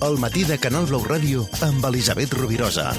El matí de Canal Blau Ràdio amb Elisabet Rovirosa.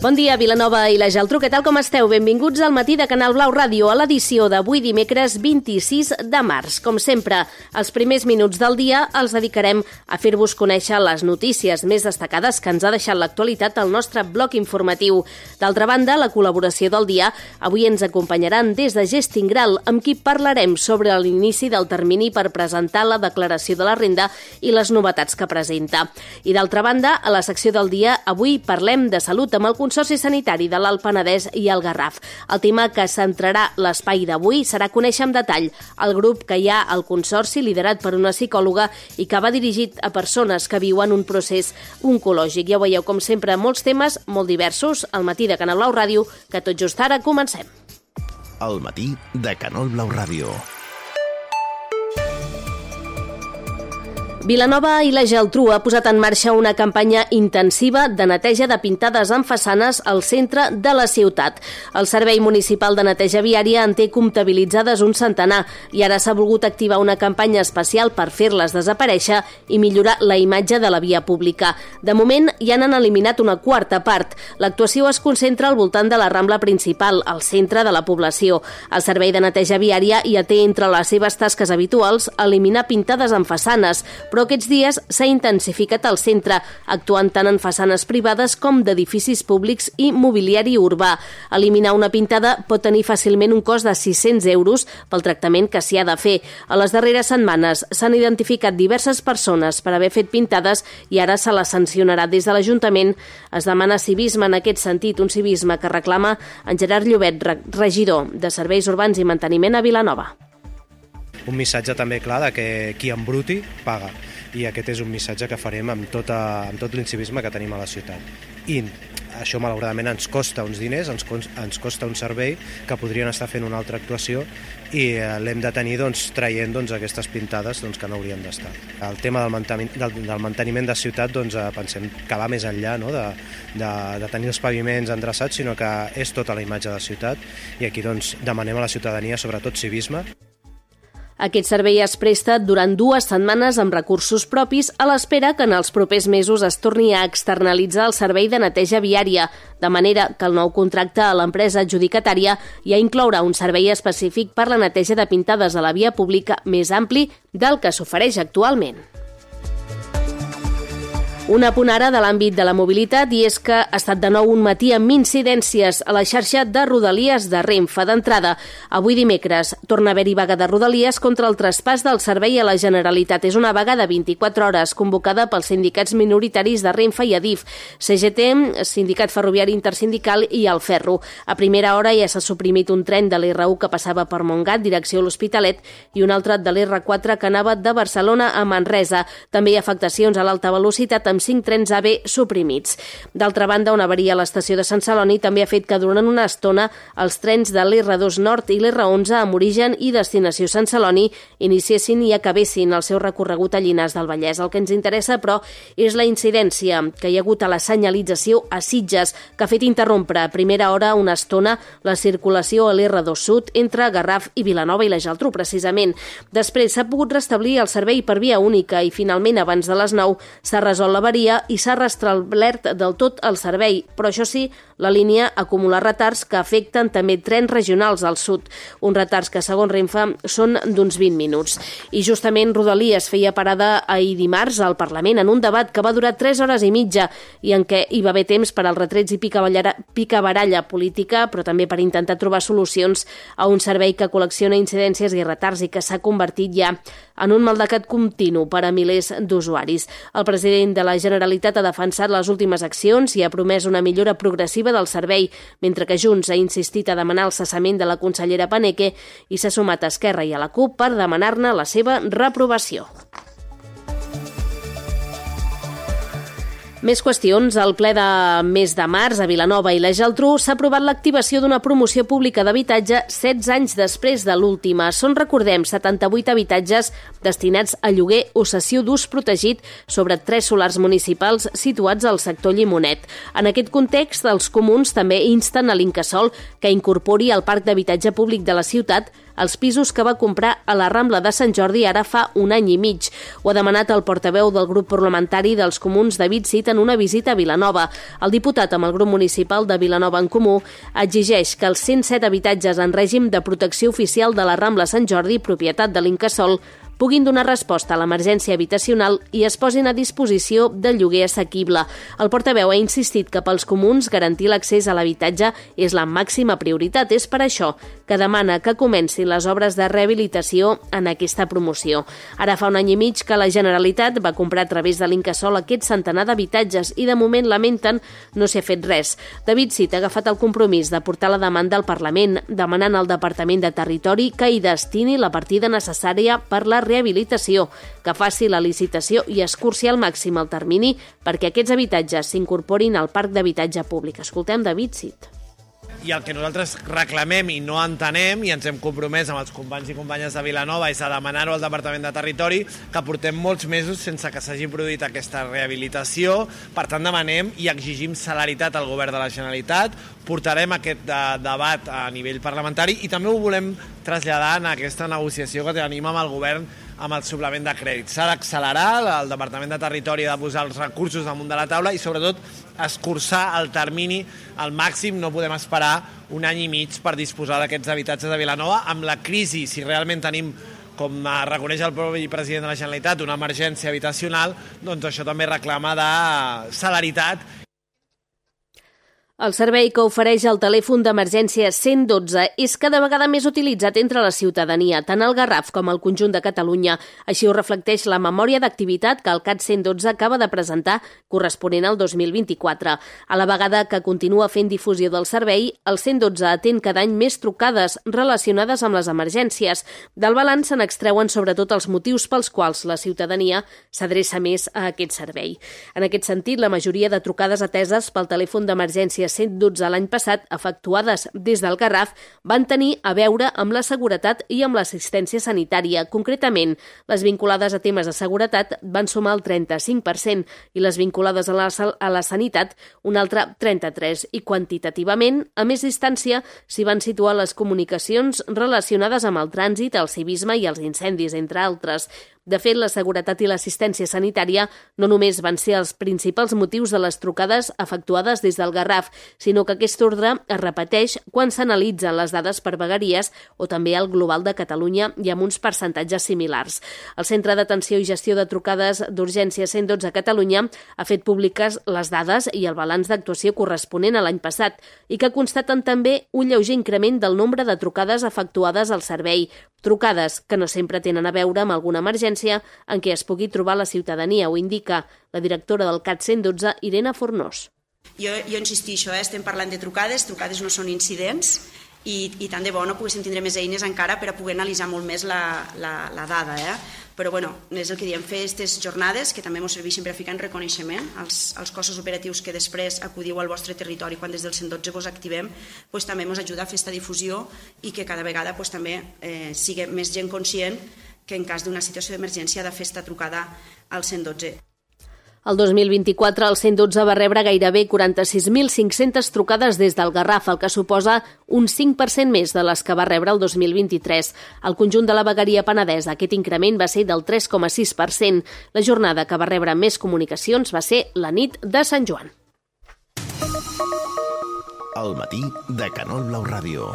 Bon dia, Vilanova i la Geltrú. Què tal, com esteu? Benvinguts al matí de Canal Blau Ràdio, a l'edició d'avui dimecres 26 de març. Com sempre, els primers minuts del dia els dedicarem a fer-vos conèixer les notícies més destacades que ens ha deixat l'actualitat al nostre bloc informatiu. D'altra banda, la col·laboració del dia avui ens acompanyaran des de Gestingral, amb qui parlarem sobre l'inici del termini per presentar la declaració de la renda i les novetats que presenta. I d'altra banda, a la secció del dia, avui parlem de salut amb el Consorci Sanitari de l'Alt Penedès i el Garraf. El tema que centrarà l'espai d'avui serà conèixer en detall el grup que hi ha al Consorci, liderat per una psicòloga i que va dirigit a persones que viuen un procés oncològic. Ja ho veieu, com sempre, molts temes molt diversos al matí de Canal Blau Ràdio, que tot just ara comencem. El matí de Canal Blau Ràdio. Vilanova i la Geltrú ha posat en marxa una campanya intensiva de neteja de pintades en façanes al centre de la ciutat. El Servei Municipal de Neteja Viària en té comptabilitzades un centenar i ara s'ha volgut activar una campanya especial per fer-les desaparèixer i millorar la imatge de la via pública. De moment, ja n'han eliminat una quarta part. L'actuació es concentra al voltant de la Rambla principal, al centre de la població. El Servei de Neteja Viària ja té entre les seves tasques habituals eliminar pintades en façanes, però aquests dies s'ha intensificat al centre, actuant tant en façanes privades com d'edificis públics i mobiliari urbà. Eliminar una pintada pot tenir fàcilment un cost de 600 euros pel tractament que s'hi ha de fer. A les darreres setmanes s'han identificat diverses persones per haver fet pintades i ara se les sancionarà des de l'Ajuntament. Es demana civisme en aquest sentit, un civisme que reclama en Gerard Llobet, regidor de Serveis Urbans i Manteniment a Vilanova. Un missatge també clar de que qui embruti paga, i aquest és un missatge que farem amb tot l'incivisme que tenim a la ciutat. I això malauradament ens costa uns diners, ens costa un servei que podrien estar fent una altra actuació i l'hem de tenir traient aquestes pintades que no haurien d'estar. El tema del manteniment de ciutat pensem que va més enllà, no? de tenir els paviments endreçats, sinó que és tota la imatge de ciutat i aquí demanem a la ciutadania sobretot civisme. Aquest servei es presta durant 2 setmanes amb recursos propis a l'espera que en els propers mesos es torni a externalitzar el servei de neteja viària, de manera que el nou contracte a l'empresa adjudicatària ja inclourà un servei específic per la neteja de pintades a la via pública més ampli del que s'ofereix actualment. Un apunt ara de l'àmbit de la mobilitat i és que ha estat de nou un matí amb incidències a la xarxa de Rodalies de Renfe. D'entrada, avui dimecres torna a haver-hi vaga de Rodalies contra el traspàs del servei a la Generalitat. És una vaga de 24 hores convocada pels sindicats minoritaris de Renfe i Adif, CGT, Sindicat Ferroviari Intersindical i el Ferro. A primera hora ja s'ha suprimit un tren de l'R1 que passava per Montgat, direcció a l'Hospitalet, i un altre de l'R4 que anava de Barcelona a Manresa. També hi ha afectacions a l'alta velocitat amb 5 trens AVE suprimits. D'altra banda, una avaria a l'estació de Sant Celoni també ha fet que durant una estona els trens de l'R2 Nord i l'R11 amb origen i destinació Sant Celoni iniciessin i acabessin el seu recorregut a Llinars del Vallès. El que ens interessa, però, és la incidència que hi ha hagut a la senyalització a Sitges, que ha fet interrompre a primera hora una estona la circulació a l'R2 Sud entre Garraf i Vilanova i la Geltrú, precisament. Després s'ha pogut restablir el servei per via única i finalment abans de les 9 s'ha resolt l'avaria i s'ha restablert del tot el servei, però això sí, la línia acumula retards que afecten també trens regionals al sud, uns retards que segons Renfe són d'uns 20 minuts. I justament Rodalies feia parada ahir dimarts al Parlament en un debat que va durar 3 hores i mitja i en què hi va haver temps per als retrets i picabaralla política, però també per intentar trobar solucions a un servei que col·lecciona incidències i retards i que s'ha convertit ja en un maldecat continu per a milers d'usuaris. El president de la Generalitat ha defensat les últimes accions i ha promès una millora progressiva del servei, mentre que Junts ha insistit a demanar el cessament de la consellera Paneque i s'ha sumat a Esquerra i a la CUP per demanar-ne la seva reprovació. Més qüestions. Al ple de mes de març a Vilanova i la Geltrú s'ha aprovat l'activació d'una promoció pública d'habitatge 16 anys després de l'última. Són, recordem, 78 habitatges destinats a lloguer o cessió d'ús protegit sobre 3 solars municipals situats al sector Llimonet. En aquest context, els comuns també insten a l'Incasòl que incorpori al parc d'habitatge públic de la ciutat els pisos que va comprar a la Rambla de Sant Jordi ara fa un any i mig. Ho ha demanat el portaveu del grup parlamentari dels Comuns, David Cid, en una visita a Vilanova. El diputat amb el grup municipal de Vilanova en Comú exigeix que els 107 habitatges en règim de protecció oficial de la Rambla Sant Jordi, propietat de l'Incasòl, puguin donar resposta a l'emergència habitacional i es posin a disposició de lloguer assequible. El portaveu ha insistit que pels comuns garantir l'accés a l'habitatge és la màxima prioritat. És per això que demana que comencin les obres de rehabilitació en aquesta promoció. Ara fa un any i mig que la Generalitat va comprar a través de l'Incasòl aquest centenar d'habitatges i de moment lamenten no s'hi ha fet res. David Cid ha agafat el compromís de portar la demanda al Parlament, demanant al Departament de Territori que hi destini la partida necessària per la rehabilitació, que faci la licitació i escurci al màxim el termini perquè aquests habitatges s'incorporin al parc d'habitatge públic. Escoltem David Cid. I el que nosaltres reclamem i no entenem, i ens hem compromès amb els companys i companyes de Vilanova, és a demanar-ho al Departament de Territori, que portem molts mesos sense que s'hagi produït aquesta rehabilitació. Per tant, demanem i exigim celeritat al Govern de la Generalitat. Portarem aquest debat a nivell parlamentari i també ho volem traslladar en aquesta negociació que tenim amb el Govern amb el suplement de crèdit. S'ha d'accelerar, el Departament de Territori ha de posar els recursos damunt de la taula i sobretot escurçar el termini al màxim. No podem esperar un any i mig per disposar d'aquests habitatges de Vilanova. Amb la crisi, si realment tenim, com reconeix el propi president de la Generalitat, una emergència habitacional, doncs això també reclama de celeritat. El servei que ofereix el telèfon d'emergència 112 és cada vegada més utilitzat entre la ciutadania, tant al Garraf com al conjunt de Catalunya. Així ho reflecteix la memòria d'activitat que el CAT 112 acaba de presentar, corresponent al 2024. A la vegada que continua fent difusió del servei, el 112 atén cada any més trucades relacionades amb les emergències. Del balanç se n'extreuen sobretot els motius pels quals la ciutadania s'adreça més a aquest servei. En aquest sentit, la majoria de trucades ateses pel telèfon d'emergència 112 l'any passat, efectuades des del Garraf, van tenir a veure amb la seguretat i amb l'assistència sanitària. Concretament, les vinculades a temes de seguretat van sumar el 35% i les vinculades a la sanitat un altre 33%. I quantitativament, a més distància, s'hi van situar les comunicacions relacionades amb el trànsit, el civisme i els incendis, entre altres. De fet, la seguretat i l'assistència sanitària no només van ser els principals motius de les trucades efectuades des del Garraf, sinó que aquest ordre es repeteix quan s'analitzen les dades per vegueries o també al global de Catalunya i amb uns percentatges similars. El Centre d'Atenció i Gestió de Trucades d'Urgència 112 a Catalunya ha fet públiques les dades i el balanç d'actuació corresponent a l'any passat i que constaten també un lleuger increment del nombre de trucades efectuades al servei, trucades que no sempre tenen a veure amb alguna emergència en què es pugui trobar la ciutadania, ho indica la directora del CAT 112, Irene Fornós. Jo insistixo, estem parlant de trucades no són incidents i tant de bo no poguéssim tindre més eines encara per a poder analitzar molt més la dada. Però és el que diem, fer aquestes jornades que també ens serveixen per a ficar en reconeixement als cossos operatius que després acudiu al vostre territori quan des del 112 vos activem, també ens ajuda a fer aquesta difusió i que cada vegada també sigui més gent conscient que en cas d'una situació d'emergència ha de fer esta trucada al 112. El 2024 el 112 va rebre gairebé 46.500 trucades des del Garraf, el que suposa un 5% més de les que va rebre el 2023. Al conjunt de la vegueria penedesa aquest increment va ser del 3,6%. La jornada que va rebre més comunicacions va ser la nit de Sant Joan. Al matí de Canol Blau Ràdio.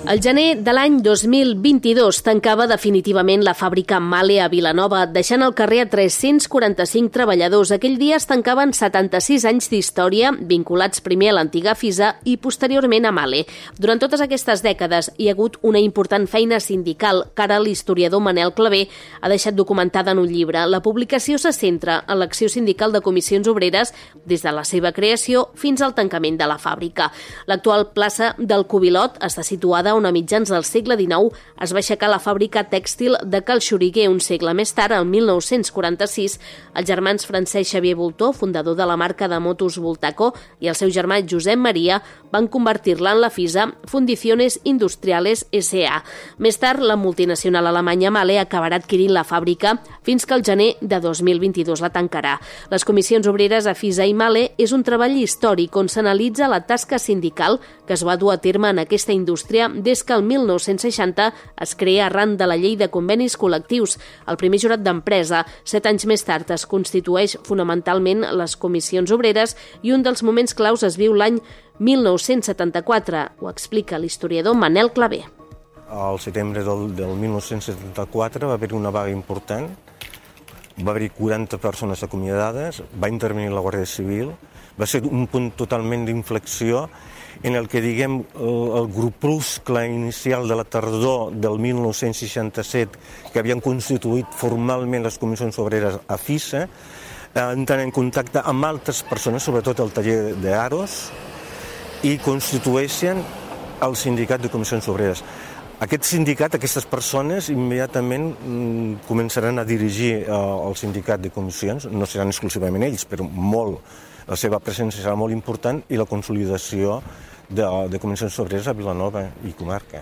El gener de l'any 2022 tancava definitivament la fàbrica Mahle a Vilanova, deixant al carrer a 345 treballadors. Aquell dia es tancaven 76 anys d'història, vinculats primer a l'antiga FISA i posteriorment a Mahle. Durant totes aquestes dècades hi ha hagut una important feina sindical que ara l'historiador Manel Clavé ha deixat documentada en un llibre. La publicació se centra en l'acció sindical de comissions obreres des de la seva creació fins al tancament de la fàbrica. L'actual plaça del Cubilot està situada on a mitjans del segle XIX es va aixecar la fàbrica tèxtil de Cal Xuriguer. Un segle més tard, el 1946, els germans Francesc Xavier Voltó, fundador de la marca de motos Voltaco, i el seu germà Josep Maria van convertir-la en la FISA Fundiciones Industriales S.A. Més tard, la multinacional alemanya Mahle acabarà adquirint la fàbrica fins que el gener de 2022 la tancarà. Les comissions obreres a FISA i Mahle és un treball històric on s'analitza la tasca sindical que es va dur a terme en aquesta indústria des que el 1960 es crea arran de la llei de convenis col·lectius. El primer jurat d'empresa, 7 anys més tard, es constitueix fonamentalment les comissions obreres i un dels moments claus es viu l'any 1974, ho explica l'historiador Manel Clavé. Al setembre del 1974 va haver una vaga important, va haver 40 persones acomiadades, va intervenir la Guàrdia Civil, va ser un punt totalment d'inflexió en el que, diguem, el grupuscle inicial de la tardor del 1967, que havien constituït formalment les comissions obreres a FISA, entren en contacte amb altres persones, sobretot el taller d'Aros, i constitueixen el sindicat de comissions obreres. Aquest sindicat, aquestes persones, immediatament començaran a dirigir el sindicat de comissions, no seran exclusivament ells, però molt. La seva presència serà molt important i la consolidació de comissions obreres a Vilanova i comarca.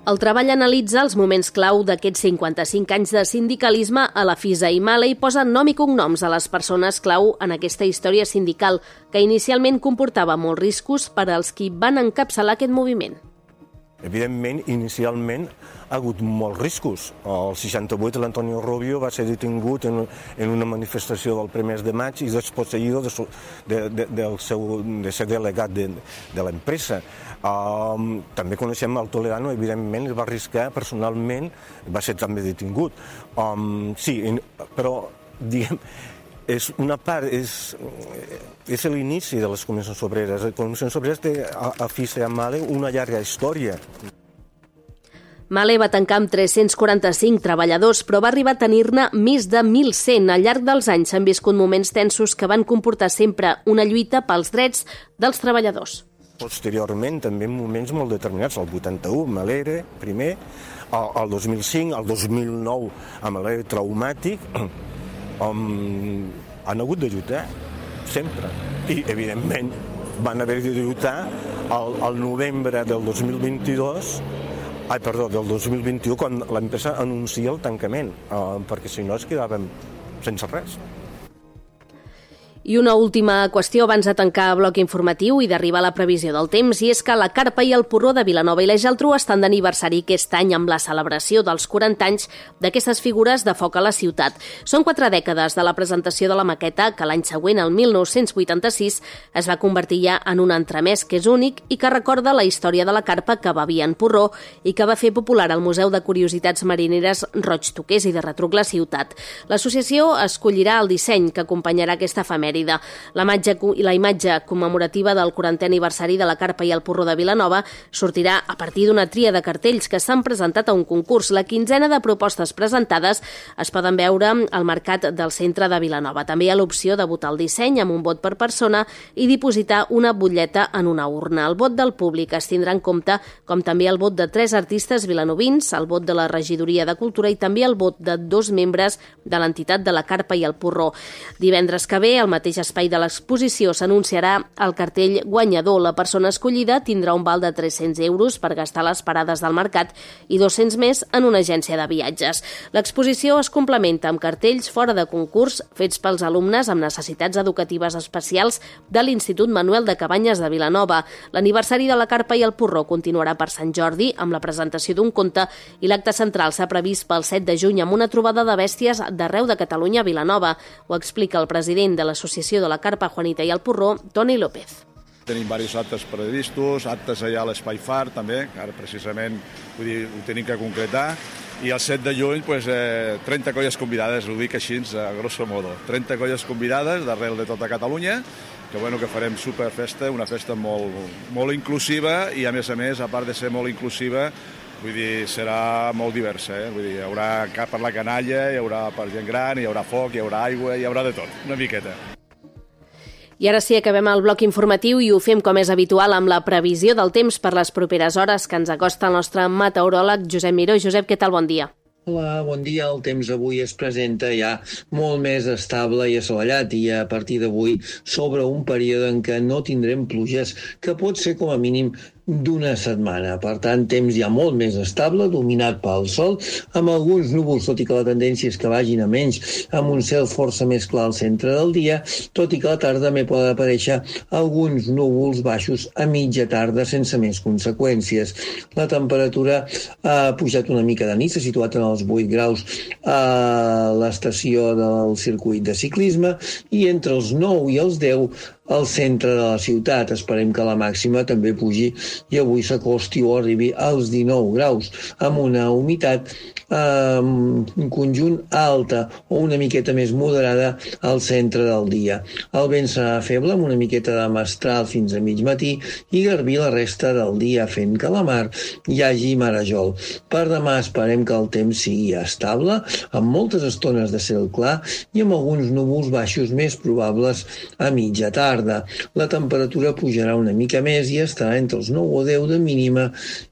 El treball analitza els moments clau d'aquests 55 anys de sindicalisme a la FISA i Mahle i posa nom i cognoms a les persones clau en aquesta història sindical, que inicialment comportava molts riscos per als qui van encapçalar aquest moviment. Evidentment, inicialment ha hagut molts riscos. El 68 l'Antonio Rubio va ser detingut en una manifestació del 1 de maig i desposseïdo de ser delegat de l'empresa. També coneixem el Toledano, evidentment, el va arriscar personalment, va ser també detingut. Sí, però, diguem, és una part, és l'inici de les comissions obreres. Les comissions obreres té a FISA i a Mahle una llarga història. Mahle va tancar amb 345 treballadors, però va arribar a tenir-ne més de 1.100. Al llarg dels anys s'han viscut moments tensos que van comportar sempre una lluita pels drets dels treballadors. Posteriorment, també en moments molt determinats, el 81, Mahle, primer, el 2005, el 2009, amb Mahle traumàtic, han hagut de lluitar, sempre. I, evidentment, van haver de lluitar al novembre del 2021, quan l'empresa anuncia el tancament, perquè si no es quedàvem sense res. I una última qüestió abans de tancar el bloc informatiu i d'arribar a la previsió del temps, i és que la Carpa i el Porró de Vilanova i la Geltrú estan d'aniversari aquest any amb la celebració dels 40 anys d'aquestes figures de foc a la ciutat. Són 4 dècades de la presentació de la maqueta que l'any següent, el 1986, es va convertir ja en un entremès que és únic i que recorda la història de la carpa que bevia en porró i que va fer popular al Museu de Curiositats Marineres Roig Toqués i de retruc la ciutat. L'associació escollirà el disseny que acompanyarà aquesta efemèride. La imatge commemorativa del 40è aniversari de la Carpa i el Porró de Vilanova sortirà a partir d'una tria de cartells que s'han presentat a un concurs. La quinzena de propostes presentades es poden veure al mercat del centre de Vilanova. També hi ha l'opció de votar el disseny amb un vot per persona i dipositar una butlleta en una urna. El vot del públic es tindrà en compte, com també el vot de 3 artistes vilanovins, el vot de la Regidoria de Cultura i també el vot de 2 membres de l'entitat de la Carpa i el Porró. Divendres que ve, al mateix espai de l'exposició, s'anunciarà el cartell guanyador. La persona escollida tindrà un val de 300 euros per gastar les parades del mercat i 200 més en una agència de viatges. L'exposició es complementa amb cartells fora de concurs fets pels alumnes amb necessitats educatives especials de l'Institut Manuel de Cabanyes de Vilanova. L'aniversari de la Carpa i el Porró continuarà per Sant Jordi amb la presentació d'un conte i l'acte central s'ha previst pel 7 de juny amb una trobada de bèsties d'arreu de Catalunya a Vilanova. Ho explica el president de l'Associació de la Carpa, Juanita i el Porró, Toni López. Tenim diversos actes previstos, actes allà a l'Espai Far també, que ara precisament ho tenim que concretar, i el 7 de juny 30 colles convidades, ho dic així, a grosso modo, 30 colles convidades d'arrel de tota Catalunya, que farem superfesta, una festa molt inclusiva i a més, a part de ser molt inclusiva, serà molt diversa. Hi haurà per la canalla, hi haurà per gent gran, hi haurà foc, hi haurà aigua, hi haurà de tot, una miqueta. I ara sí, acabem el bloc informatiu i ho fem com és habitual amb la previsió del temps per les properes hores que ens acosta el nostre meteoròleg Josep Miró. Josep, què tal? Bon dia. Hola, bon dia. El temps avui es presenta ja molt més estable i assolellat i a partir d'avui sobre un període en què no tindrem pluges, que pot ser com a mínim d'una setmana. Per tant, temps ja molt més estable, dominat pel sol, amb alguns núvols, tot i que la tendència és que vagin a menys, amb un cel força més clar al centre del dia, tot i que a la tarda també poden aparèixer alguns núvols baixos a mitja tarda sense més conseqüències. La temperatura ha pujat una mica de nit, s'ha situat en els 8 graus a l'estació del circuit de ciclisme i entre els 9 i els 10 al centre de la ciutat. Esperem que la màxima també pugi i avui s'acosti o arribi als 19 graus, amb una humitat en conjunt alta o una miqueta més moderada al centre del dia. El vent serà feble amb una miqueta de mestral fins a mig matí i garbí la resta del dia, fent que a la mar hi hagi marejol. Per demà esperem que el temps sigui estable, amb moltes estones de cel clar i amb alguns núvols baixos més probables a mitja tarda. La temperatura pujarà una mica més i estarà entre els 9 o 10 de mínima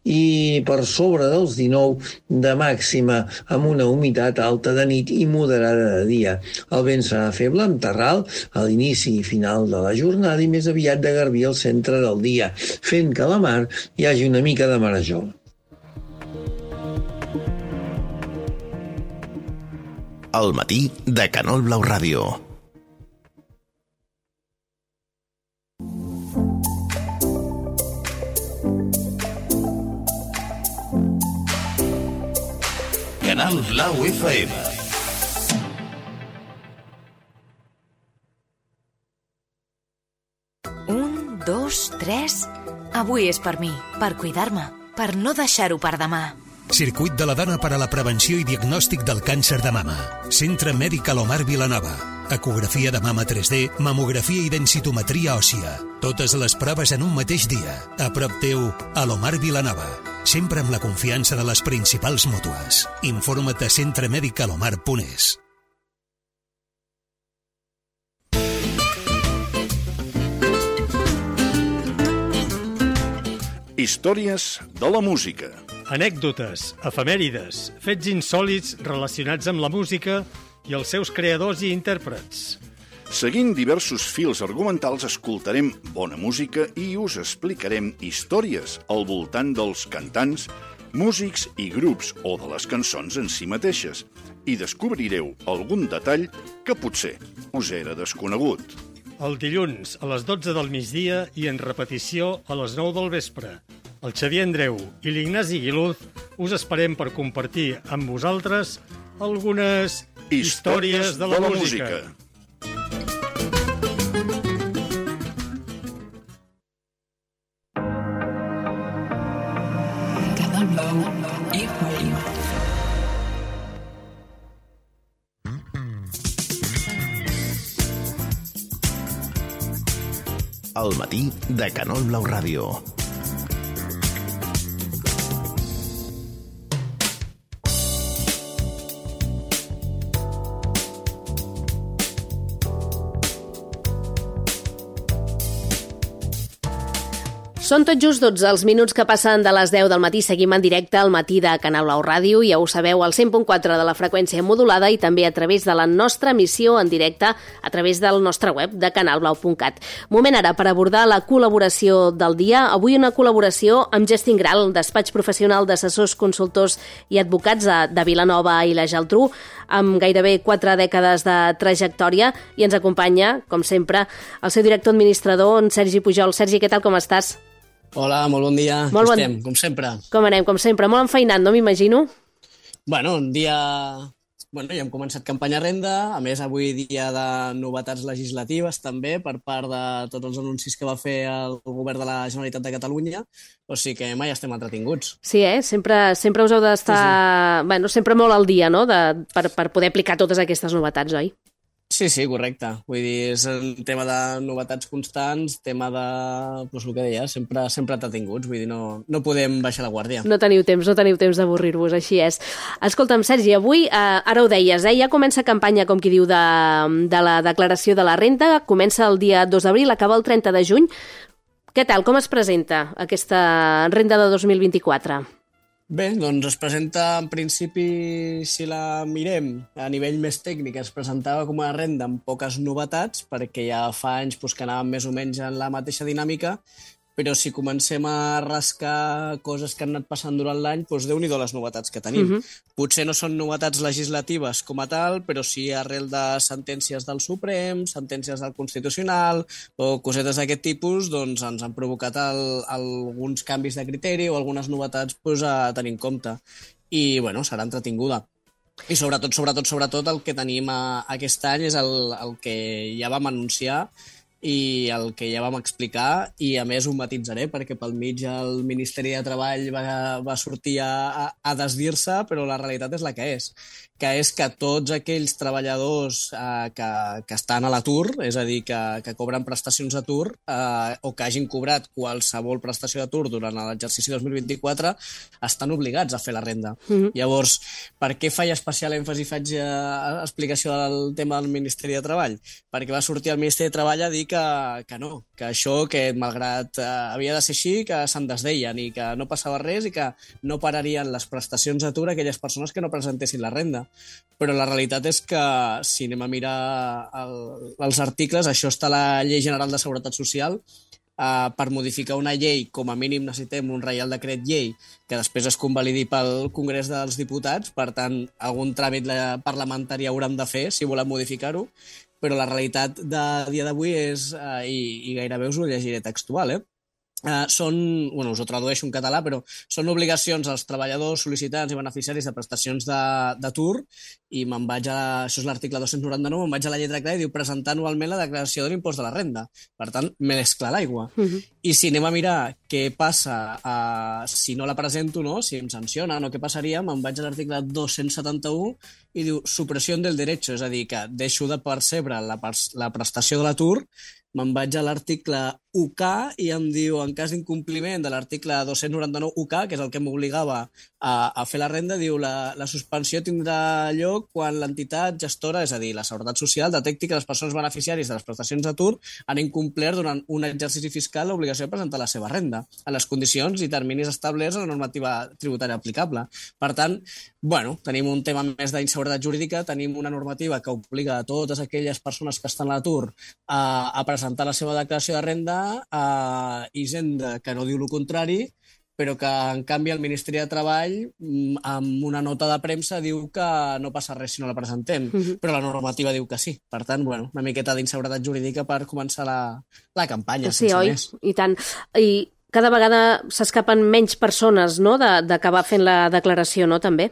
i per sobre dels 19 de màxima, amb una humitat alta de nit i moderada de dia. El vent serà feble amb terral a l'inici i final de la jornada i més aviat de garbí al centre del dia, fent que a la mar hi hagi una mica de marejol. Al matí de Canol Blau Ràdio. Canal Blau FM. Un, dos, tres... Avui és per mi, per cuidar-me, per no deixar-ho per demà. Circuit de la dona per a la prevenció i diagnòstic del càncer de mama. Centre Mèdic Alomar Vilanova. Ecografia de mama 3D, mamografia i densitometria òssia. Totes les proves en un mateix dia. A prop teu, Alomar Vilanova. Sempre amb la confiança de les principals mútues. Informa't a centremedicalomar.es. Històries de la música. Anècdotes, efemèrides, fets insòlits relacionats amb la música i els seus creadors i intèrprets. Seguint diversos fils argumentals, escoltarem bona música i us explicarem històries al voltant dels cantants, músics i grups o de les cançons en si mateixes, i descobrireu algun detall que potser us era desconegut. El dilluns a les 12 del migdia i en repetició a les 9 del vespre. El Xavier Andreu i l'Ignasi Guiluz us esperem per compartir amb vosaltres algunes històries de la música. Canal Blau FM. Al matí de Canol Blau Ràdio. Són tot just 12 els minuts que passen de les 10 del matí. Seguim en directe al matí de Canal Blau Ràdio. Ja ho sabeu, al 100.4 de la freqüència modulada i també a través de la nostra emissió en directe a través del nostre web de canalblau.cat. Moment ara per abordar la col·laboració del dia. Avui una col·laboració amb Gestin Gral, despatx professional d'assessors, consultors i advocats de Vilanova i la Geltrú, amb gairebé 4 dècades de trajectòria, i ens acompanya, com sempre, el seu director administrador, en Sergi Pujol. Sergi, què tal, com estàs? Hola, molt bon dia. Molt Estem, com sempre. Com anem, com sempre? Molt enfeinat, no m'imagino? Bueno, un dia... Bueno, ja hem començat campanya renda, a més avui dia de novetats legislatives també per part de tots els anuncis que va fer el govern de la Generalitat de Catalunya, o sigui que mai estem entretinguts. Sí, sempre us heu d'estar... Sí. Bueno, sempre molt al dia, no?, per poder aplicar totes aquestes novetats, oi? Sí, correcte. Vull dir, és un tema de novetats constants, tema de, doncs el que deia, sempre entretinguts, vull dir, no podem baixar la guàrdia. No teniu temps d'avorrir-vos, així és. Escolta'm, Sergi, avui, ara ho deies, ja comença campanya, com qui diu, de la declaració de la renda, comença el dia 2 d'abril, acaba el 30 de juny. Què tal, com es presenta aquesta renda de 2024? Bé, doncs es presenta, en principi, si la mirem a nivell més tècnic, es presentava com una renda amb poques novetats, perquè ja fa anys que anàvem més o menys en la mateixa dinàmica, però si comencem a rascar coses que han anat passant durant l'any, doncs Déu-n'hi-do les novetats que tenim. Potser no són novetats legislatives com a tal, però sí arrel de sentències del Suprem, sentències del Constitucional o cosetes d'aquest tipus, doncs ens han provocat alguns canvis de criteri o algunes novetats a tenir en compte. I, bueno, serà entretinguda. I sobretot el que tenim aquest any és el que ja vam anunciar i el que ja vam explicar, i a més ho matitzaré perquè pel mig el Ministeri de Treball va sortir a desdir-se, però la realitat és la que és que tots aquells treballadors que estan a l'atur, és a dir, que cobren prestacions d'atur o que hagin cobrat qualsevol prestació d'atur durant l'exercici 2024, estan obligats a fer la renda. Llavors, per què faig especial èmfasi, faig explicació del tema del Ministeri de Treball? Perquè va sortir el Ministeri de Treball a dir que no, que això, que malgrat havia de ser així, que se'n desdeien i que no passava res i que no pararien les prestacions d'atur a aquelles persones que no presentessin la renda. Però la realitat és que, si anem a mirar els articles, això està a la Llei General de Seguretat Social. Per modificar una llei, com a mínim necessitem un reial decret llei que després es convalidi pel Congrés dels Diputats, per tant, algun tràmit parlamentari haurem de fer si volem modificar-ho, però la realitat de dia d'avui és, i gairebé us ho llegiré textual, us ho tradueixo en català, però són obligacions als treballadors, sol·licitants i beneficiaris de prestacions d'atur, i això és l'article 299, me'n vaig a la lletra clara i diu presentar anualment la declaració de l'impost de la renda. Per tant, més clar l'aigua. I si anem a mirar què passa si no la presento, si em sancionen o què passaria, me'n vaig a l'article 271 i diu supressió del derecho, és a dir, que deixo de percebre la prestació de l'atur. Me'n vaig a l'article UK i em diu, en cas d'incompliment de l'article 299 UK, que és el que m'obligava a fer la renda, diu la suspensió tindrà lloc quan l'entitat gestora, és a dir, la Seguretat Social, detecti que les persones beneficiàries de les prestacions d'atur han incomplert durant un exercici fiscal l'obligació de presentar la seva renda en les condicions i terminis establerts a la normativa tributària aplicable. Per tant, tenim un tema més d'inseguretat jurídica, tenim una normativa que obliga a totes aquelles persones que estan a l'atur a presentar la seva declaració de renda, Hisenda, que no diu el contrari, però que, en canvi, el Ministeri de Treball, amb una nota de premsa, diu que no passa res si no la presentem, però la normativa diu que sí. Per tant, una miqueta d'inseguretat jurídica per començar la campanya, sense més. I tant. I cada vegada s'escapen menys persones, d'acabar fent la declaració, també?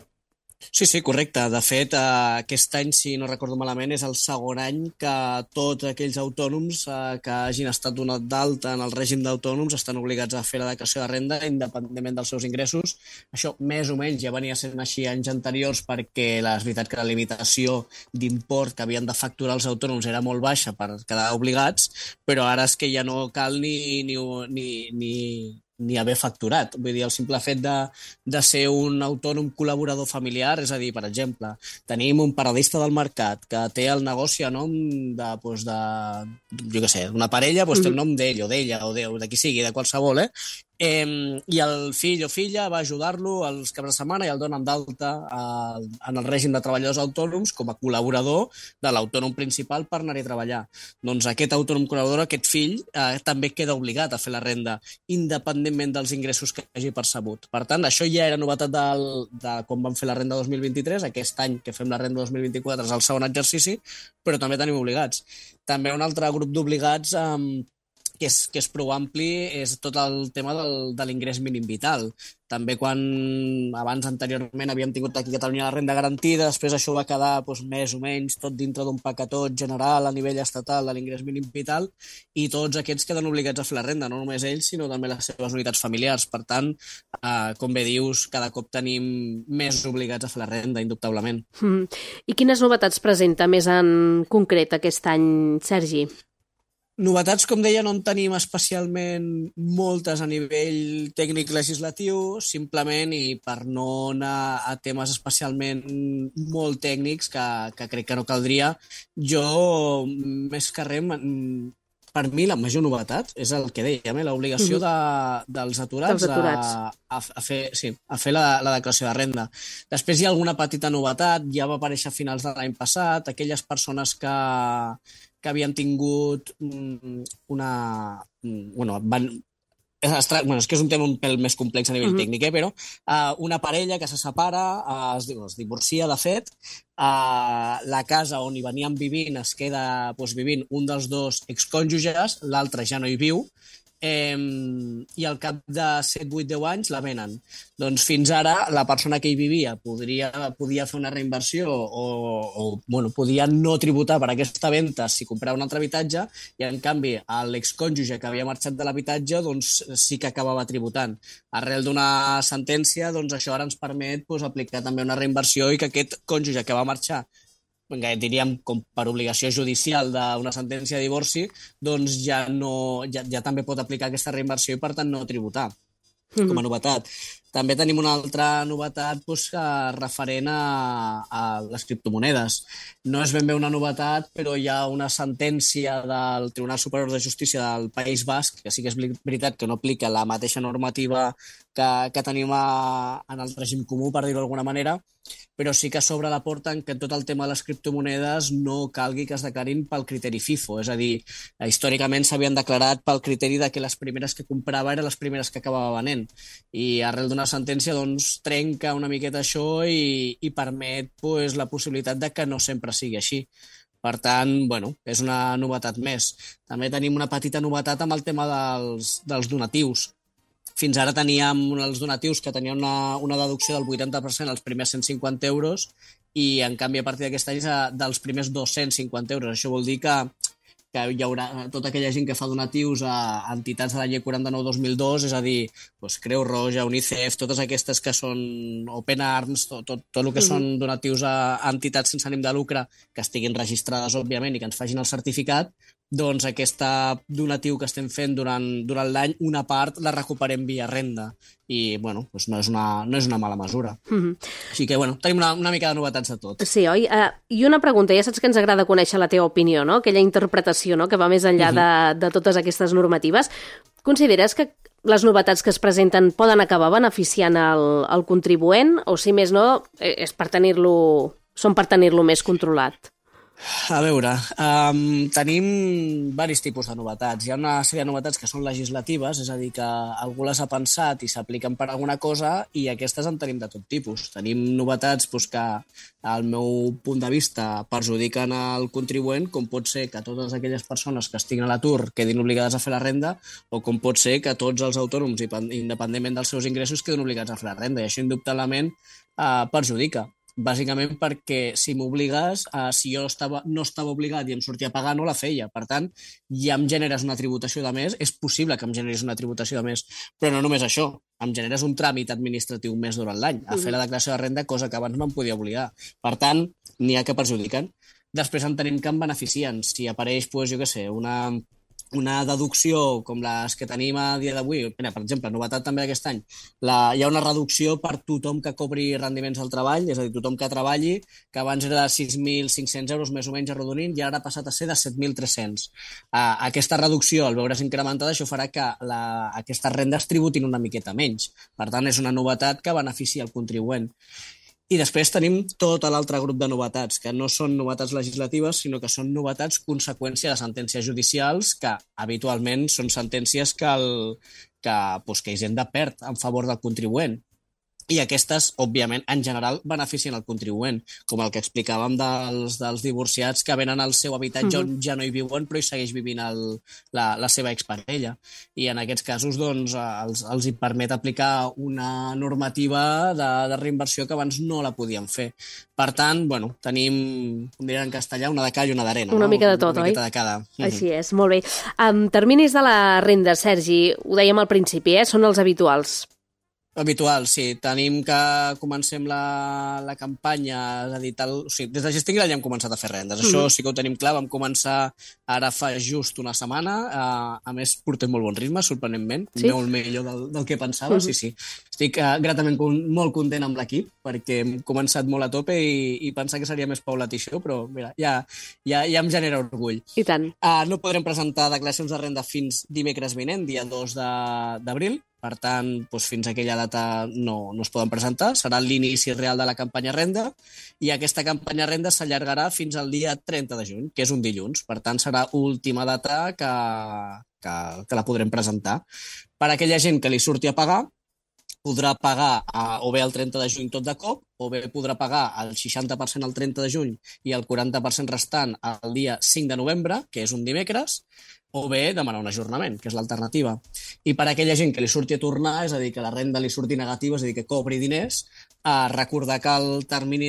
Sí, correcte. De fet, aquest any, si no recordo malament, és el segon any que tots aquells autònoms que hagin estat donat d'alta en el règim d'autònoms estan obligats a fer la declaració de renda independentment dels seus ingressos. Això més o menys ja venia sent així anys anteriors perquè és veritat que la limitació d'import que havien de facturar els autònoms era molt baixa per quedar obligats, però ara és que ja no cal ni haver facturat. Vull dir, el simple fet de ser un autònom col·laborador familiar, és a dir, per exemple, tenim un paradista del mercat que té el negoci a nom d'una parella, té el nom d'ell o d'ella o de qui sigui, de qualsevol, i el fill o filla va ajudar-lo els caps de setmana i el donen d'alta en el règim de treballadors autònoms com a col·laborador de l'autònom principal per anar-hi a treballar. Doncs aquest autònom col·laborador, aquest fill, també queda obligat a fer la renda, independentment dels ingressos que hagi percebut. Per tant, això ja era novetat de com vam fer la renda 2023, aquest any que fem la renda 2024 és el segon exercici, però també tenim obligats. També un altre grup d'obligats que és prou ampli és tot el tema de l'ingrés mínim vital. També quan abans anteriorment havíem tingut aquí a Catalunya la renda garantida, després això va quedar més o menys tot dintre d'un paquetot general a nivell estatal de l'ingrés mínim vital, i tots aquests queden obligats a fer la renda, no només ells, sinó també les seves unitats familiars. Per tant, com bé dius, cada cop tenim més obligats a fer la renda, indubtablement. I quines novetats presenta més en concret aquest any, Sergi? Novetats, com deia, no en tenim especialment moltes a nivell tècnic legislatiu, simplement, i per no anar a temes especialment molt tècnics, que crec que no caldria, jo, més que res, per mi la major novetat és el que dèiem, l'obligació dels aturats a fer la declaració de renda. Després hi ha alguna petita novetat, ja va aparèixer a finals de l'any passat, aquelles persones que havien tingut és que és un tema un pèl més complex a nivell tècnic, però una parella que se separa, es divorcia, de fet, la casa on hi venien vivint es queda vivint un dels dos excònjuges, l'altre ja no hi viu, i al cap de 7, 8, 10 anys la venen. Doncs fins ara la persona que hi vivia podia fer una reinversió o podia no tributar per aquesta venda si comprava un altre habitatge, i en canvi l'excònjuge que havia marxat de l'habitatge sí que acabava tributant. Arrel d'una sentència, això ara ens permet aplicar també una reinversió, i que aquest cònjuge que va marxar, diríem com per obligació judicial d'una sentència de divorci, ja també pot aplicar aquesta reinversió i per tant no tributar, com a novetat. També tenim una altra novetat referent a les criptomonedes. No és ben bé una novetat, però hi ha una sentència del Tribunal Superior de Justícia del País Basc, que sí que és veritat que no aplica la mateixa normativa que tenim en el règim comú, per dir-ho d'alguna manera, però sí que s'obre la porta en que tot el tema de les criptomonedes no calgui que es declarin pel criteri FIFO, és a dir, històricament s'havien declarat pel criteri de que les primeres que comprava eren les primeres que acabava venent, i arrel d'una sentència trenca una miqueta això i permet la possibilitat de que no sempre sigui així. Per tant, és una novetat més. També tenim una petita novetat amb el tema dels donatius. Fins ara teníem els donatius que tenien una deducció del 80% als primers 150 euros, i en canvi a partir d'aquest any dels primers 250 euros. Això vol dir que hi haurà tota aquella gent que fa donatius a entitats de la llei 49/2002, és a dir, Creu Roja, UNICEF, totes aquestes que són Open Arms, tot el que són donatius a entitats sense ànim de lucre que estiguin registrades, òbviament, i que ens facin el certificat, doncs aquest donatiu que estem fent durant l'any, una part la recuperem via renda, i no és una mala mesura. Així que tenim una mica de novetats de tot. Sí, oi? I una pregunta, ja saps que ens agrada conèixer la teva opinió, no? Aquella interpretació, no? Que va més enllà de totes aquestes normatives. Consideres que les novetats que es presenten poden acabar beneficiant el contribuent, o si més no, són per tenir-lo més controlat? A veure, tenim diversos tipus de novetats. Hi ha una sèrie de novetats que són legislatives, és a dir, que algú les ha pensat i s'apliquen per alguna cosa, i aquestes en tenim de tot tipus. Tenim novetats que, al meu punt de vista, perjudiquen el contribuent, com pot ser que totes aquelles persones que estiguin a l'atur quedin obligades a fer la renda, o com pot ser que tots els autònoms, independentment dels seus ingressos, quedin obligats a fer la renda, i això indubtablement perjudica. Bàsicament perquè si m'obligues, si jo no estava obligat i em sortia a pagar, no la feia. Per tant, ja em generes una tributació de més, és possible que em generis una tributació de més, però no només això, em generes un tràmit administratiu més durant l'any, a fer la declaració de renda, cosa que abans no em podia obligar. Per tant, n'hi ha que perjudiquen. Després en tenim que em beneficien. Si apareix, una deducció com les que tenim a dia d'avui, per exemple, novetat també d'aquest any, hi ha una reducció per tothom que cobri rendiments del treball, és a dir, tothom que treballi, que abans era de 6.500 euros més o menys arrodonint, i ara ha passat a ser de 7.300. Aquesta reducció, al veure's incrementada, això farà que aquestes rendes tributin una miqueta menys. Per tant, és una novetat que beneficia el contribuent. I després tenim tot l'altre grup de novetats, que no són novetats legislatives, sinó que són novetats conseqüència de sentències judicials, que habitualment són sentències que Hisenda perd en favor del contribuent. i aquestes, òbviament, en general, beneficien el contribuent, com el que explicàvem dels divorciats que venen al seu habitatge on ja no hi viuen, però hi segueix vivint la seva exparella. I en aquests casos, doncs, els hi permet aplicar una normativa de reinversió que abans no la podien fer. Per tant, bueno, tenim, com diran en castellà, una de cal i una d'arena. Una mica de tot, oi? Una miqueta de cada. Així és, molt bé. Terminis de la renda, Sergi, ho dèiem al principi, són els habituals. Habitual, sí. Tenim que comencem la campanya, és a dir, des de Gestingui ja hem començat a fer rendes. Això sí que ho tenim clar, vam començar ara fa just una setmana, a més portem molt bon ritme, sorprenentment, molt millor del que pensava, sí. Estic gratament molt content amb l'equip, perquè hem començat molt a tope i pensar que seria més paulatí això, però mira, ja em genera orgull. I tant. No podrem presentar declaracions de renda fins dimecres vinent, dia 2 d'abril. Per tant, fins a aquella data no es poden presentar. Serà l'inici real de la campanya renda i aquesta campanya renda s'allargarà fins al dia 30 de juny, que és un dilluns. Per tant, serà última data que la podrem presentar. Per a aquella gent que li surti a pagar, podrà pagar o bé el 30 de juny tot de cop, o bé podrà pagar el 60% el 30 de juny i el 40% restant el dia 5 de novembre, que és un dimecres, o bé demanar un ajornament, que és l'alternativa. I per a aquella gent que li surti a tornar, és a dir, que la renda li surti negativa, és a dir, que cobri diners, recordar que el termini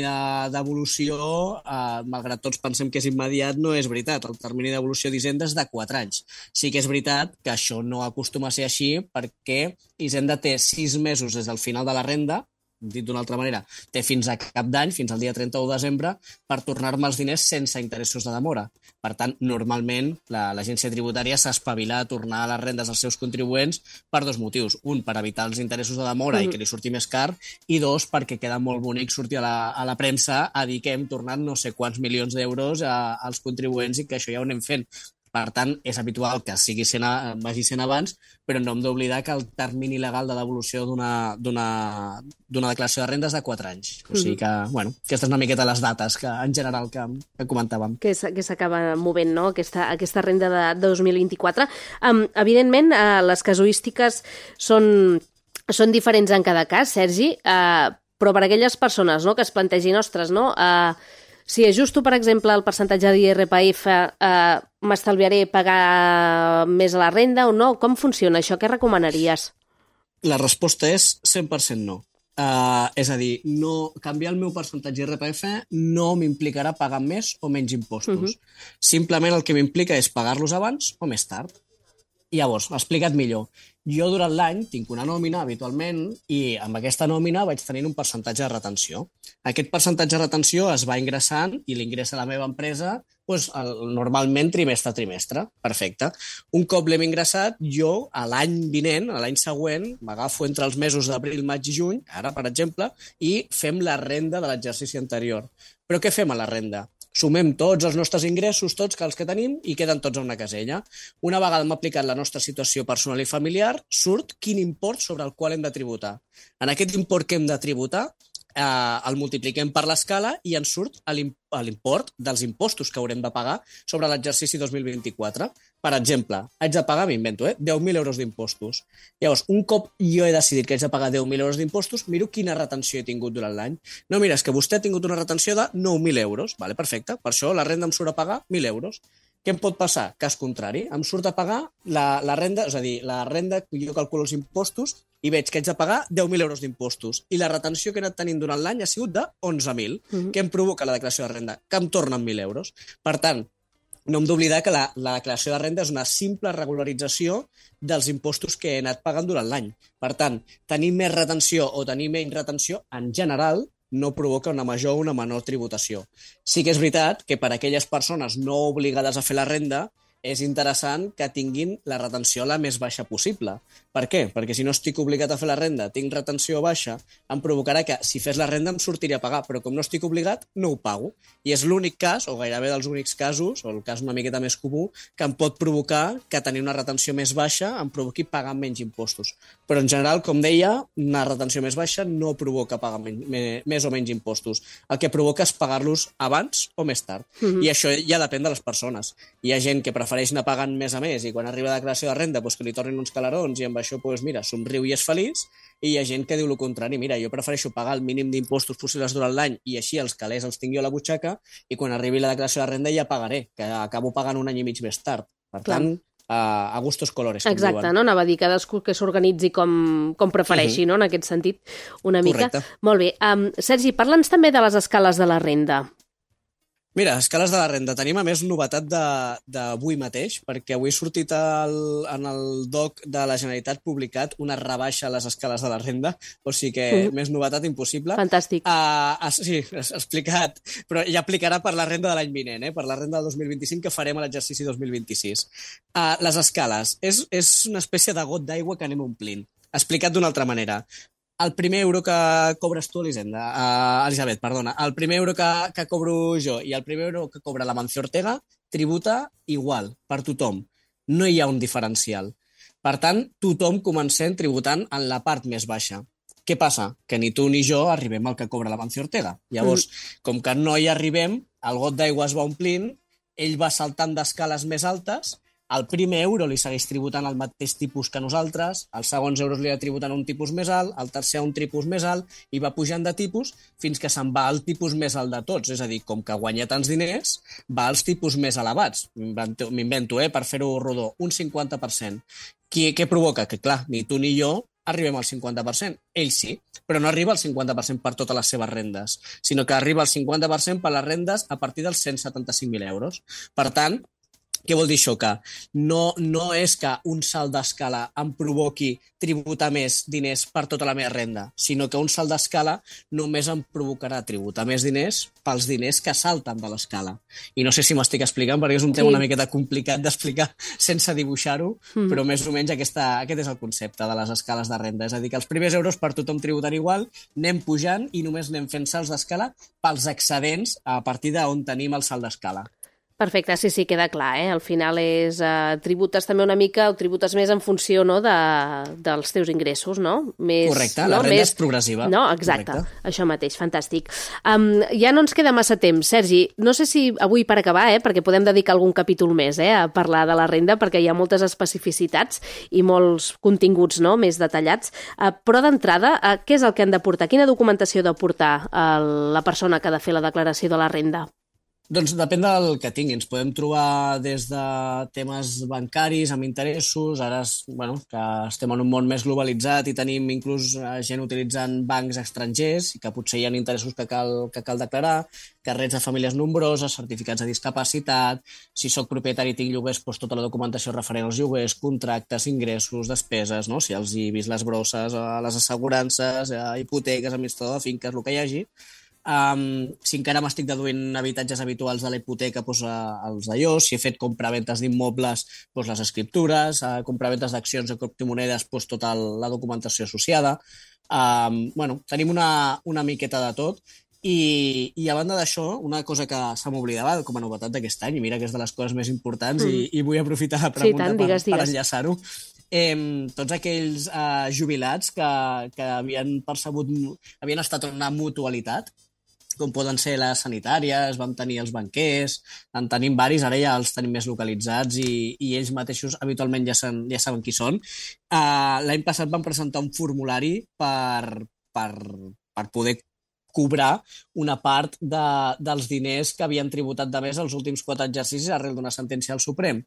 d'evolució, malgrat tots pensem que és immediat, no és veritat. El termini d'evolució d'Hisenda és de 4 anys. Sí que és veritat que això no acostuma a ser així perquè Hisenda té 6 mesos des del final de la renda, dit d'una altra manera, té fins a cap d'any, fins al dia 31 de desembre, per tornar-me els diners sense interessos de demora. Per tant, normalment, l'agència tributària s'espavila a tornar les rendes als seus contribuents per 2 motius. Un, per evitar els interessos de demora i que li surti més car, i 2, perquè queda molt bonic sortir a la premsa a dir que hem tornat no sé quants milions d'euros als contribuents i que això ja ho anem fent. Per tant, és habitual que vagi sent abans, però no hem d'oblidar que el termini legal de devolució d'una declaració de renda és de 4 anys. O sigui que, bueno, aquestes una miqueta les dates que en general que comentàvem. Que s'acaba movent, no?, aquesta renda de 2024. Evidentment, les casuístiques són diferents en cada cas, Sergi, però per a aquelles persones que es plantegin, ostres, no?, si ajusto, per exemple, el percentatge d'IRPF, m'estalviaré pagar més a la renda o no? Com funciona això? Què recomanaries? La resposta és 100% no. És a dir, canviar el meu percentatge d'IRPF no m'implicarà pagar més o menys impostos. Simplement el que m'implica és pagar-los abans o més tard. Llavors, explicat millor. Jo durant l'any tinc una nòmina habitualment i amb aquesta nòmina vaig tenint un percentatge de retenció. Aquest percentatge de retenció es va ingressant i l'ingressa a la meva empresa normalment trimestre a trimestre. Perfecte. Un cop l'hem ingressat, jo a l'any vinent, a l'any següent, m'agafo entre els mesos d'abril, maig i juny, ara per exemple, i fem la renda de l'exercici anterior. Però què fem a la renda? Sumem tots els nostres ingressos, tots els que tenim, i queden tots a una casella. Una vegada hem aplicat la nostra situació personal i familiar, surt quin import sobre el qual hem de tributar. En aquest import que hem de tributar, el multipliquem per l'escala i ens surt l'import dels impostos que haurem de pagar sobre l'exercici 2024. Per exemple, haig de pagar, m'invento, 10.000 euros d'impostos. Llavors, un cop jo he decidit que haig de pagar 10.000 euros d'impostos, miro quina retenció he tingut durant l'any. No, mira, és que vostè ha tingut una retenció de 9.000 euros. Vale, perfecte. Per això la renda em surt a pagar 1.000 euros. Què em pot passar? Cas contrari. Em surt a pagar la renda, és a dir, la renda, jo calculo els impostos i veig que haig de pagar 10.000 euros d'impostos. I la retenció que he anat tenint durant l'any ha sigut de 11.000. Què em provoca la declaració de renda? Que em tornen 1.000 euros. Per tant, no hem d'oblidar que la declaració de renda és una simple regularització dels impostos que he anat pagant durant l'any. Per tant, tenir més retenció o tenir menys retenció, en general, no provoca una major o una menor tributació. Sí que és veritat que per a aquelles persones no obligades a fer la renda és interessant que tinguin la retenció la més baixa possible. Per què? Perquè si no estic obligat a fer la renda, tinc retenció baixa, em provocarà que si fes la renda em sortiria a pagar, però com no estic obligat, no ho pago. I és l'únic cas, o gairebé dels únics casos, o el cas una miqueta més comú, que em pot provocar que tenir una retenció més baixa em provoqui pagar menys impostos. Però en general, com deia, una retenció més baixa no provoca pagar més o menys impostos. El que provoca és pagar-los abans o més tard. I això ja depèn de les persones. Hi ha gent que prefereix prefereix anar pagant més a més i quan arriba la declaració de renda que li tornin uns calarons i amb això, mira, somriu i és feliç, i hi ha gent que diu el contrari, mira, jo prefereixo pagar el mínim d'impostos possibles durant l'any i així els calés els tinc jo a la butxaca i quan arribi la declaració de renda ja pagaré, que acabo pagant un any i mig més tard. Per tant, a gustos colores, com Exacte, diuen. no? Anava a dir cadascú que s'organitzi com prefereixi, no? En aquest sentit, una mica. Correcte. Molt bé. Sergi, parla'ns també de les escales de la renda. Mira, escales de la renda. Tenim, a més, novetat d'avui mateix, perquè avui ha sortit en el DOC de la Generalitat publicat una rebaixa a les escales de la renda, o sigui que més novetat impossible. Fantàstic. Sí, explicat, però ja aplicarà per la renda de l'any vinent, per la renda del 2025 que farem a l'exercici 2026. Les escales. És una espècie de got d'aigua que anem omplint. Explicat d'una altra manera. El primer euro que cobres tu, Elisabet, perdona, el primer euro que cobro jo i el primer euro que cobra l'Amancio Ortega tributa igual per tothom. No hi ha un diferencial. Per tant, tothom comencem tributant en la part més baixa. Què passa? Que ni tu ni jo arribem al que cobra l'Amancio Ortega. Llavors, com que no hi arribem, el got d'aigua es va omplint, ell va saltant d'escales més altes, al primer euro li segueix tributant el mateix tipus que nosaltres, als segons euros li ha tributant un tipus més alt, al tercer un tipus més alt, i va pujant de tipus fins que se'n va al tipus més alt de tots. És a dir, com que guanya tants diners, va als tipus més elevats. M'invento, per fer-ho rodó, un 50%. Què provoca? Que, clar, ni tu ni jo arribem al 50%. Ell sí, però no arriba al 50% per totes les seves rendes, sinó que arriba al 50% per les rendes a partir dels 175.000 euros. Per tant, què vol dir això? Que no és que un salt d'escala em provoqui tributar més diners per tota la meva renda, sinó que un salt d'escala només em provocarà tributar més diners pels diners que salten de l'escala. I no sé si m'estic explicant, perquè és un tema una miqueta complicat d'explicar sense dibuixar-ho, però més o menys aquest és el concepte de les escales de renda. És a dir, que els primers euros per tothom tributen igual, anem pujant i només anem fent salts d'escala pels excedents a partir d'on tenim el salt d'escala. Perfecte, sí, queda clar, Al final és tributes també una mica, o tributes més en funció dels teus ingressos, no? Correcte, la renda és progressiva. No, exacte, això mateix, fantàstic. Ja no ens queda massa temps, Sergi, no sé si avui per acabar, perquè podem dedicar algun capítol més a parlar de la renda, perquè hi ha moltes especificitats i molts continguts més detallats, però d'entrada, què és el que han de portar? Quina documentació ha de portar la persona que ha de fer la declaració de la renda? Doncs depèn del que tingui. Ens podem trobar des de temes bancaris amb interessos, ara que estem en un món més globalitzat i tenim inclús gent utilitzant bancs estrangers i que potser hi ha interessos que cal declarar, carnets de famílies nombroses, certificats de discapacitat, si sóc propietari i tinc lloguers, tota la documentació referent als lloguers, contractes, ingressos, despeses, si els he vist les brosses, les assegurances, hipoteques, administrador de finques, el que hi hagi. Si encara m'estic deduint habitatges habituals de la hipoteca, els d'allò, si he fet compraventes d'immobles, les escriptures, compraventes d'accions o criptomonedes, tota la documentació associada. Tenim una miqueta de tot. I a banda d'això, una cosa que se m'oblidava com a novetat d'aquest any, i mira que és de les coses més importants i vull aprofitar la pregunta per enllaçar-ho, tots aquells jubilats que havien estat en una mutualitat, com poden ser les sanitàries, vam tenir els banquers, en tenim varis, ara ja els tenim més localitzats i ells mateixos habitualment ja saben qui són. L'any passat vam presentar un formulari per poder cobrar una part dels diners que havien tributat de més els últims 4 exercicis arrel d'una sentència del Suprem.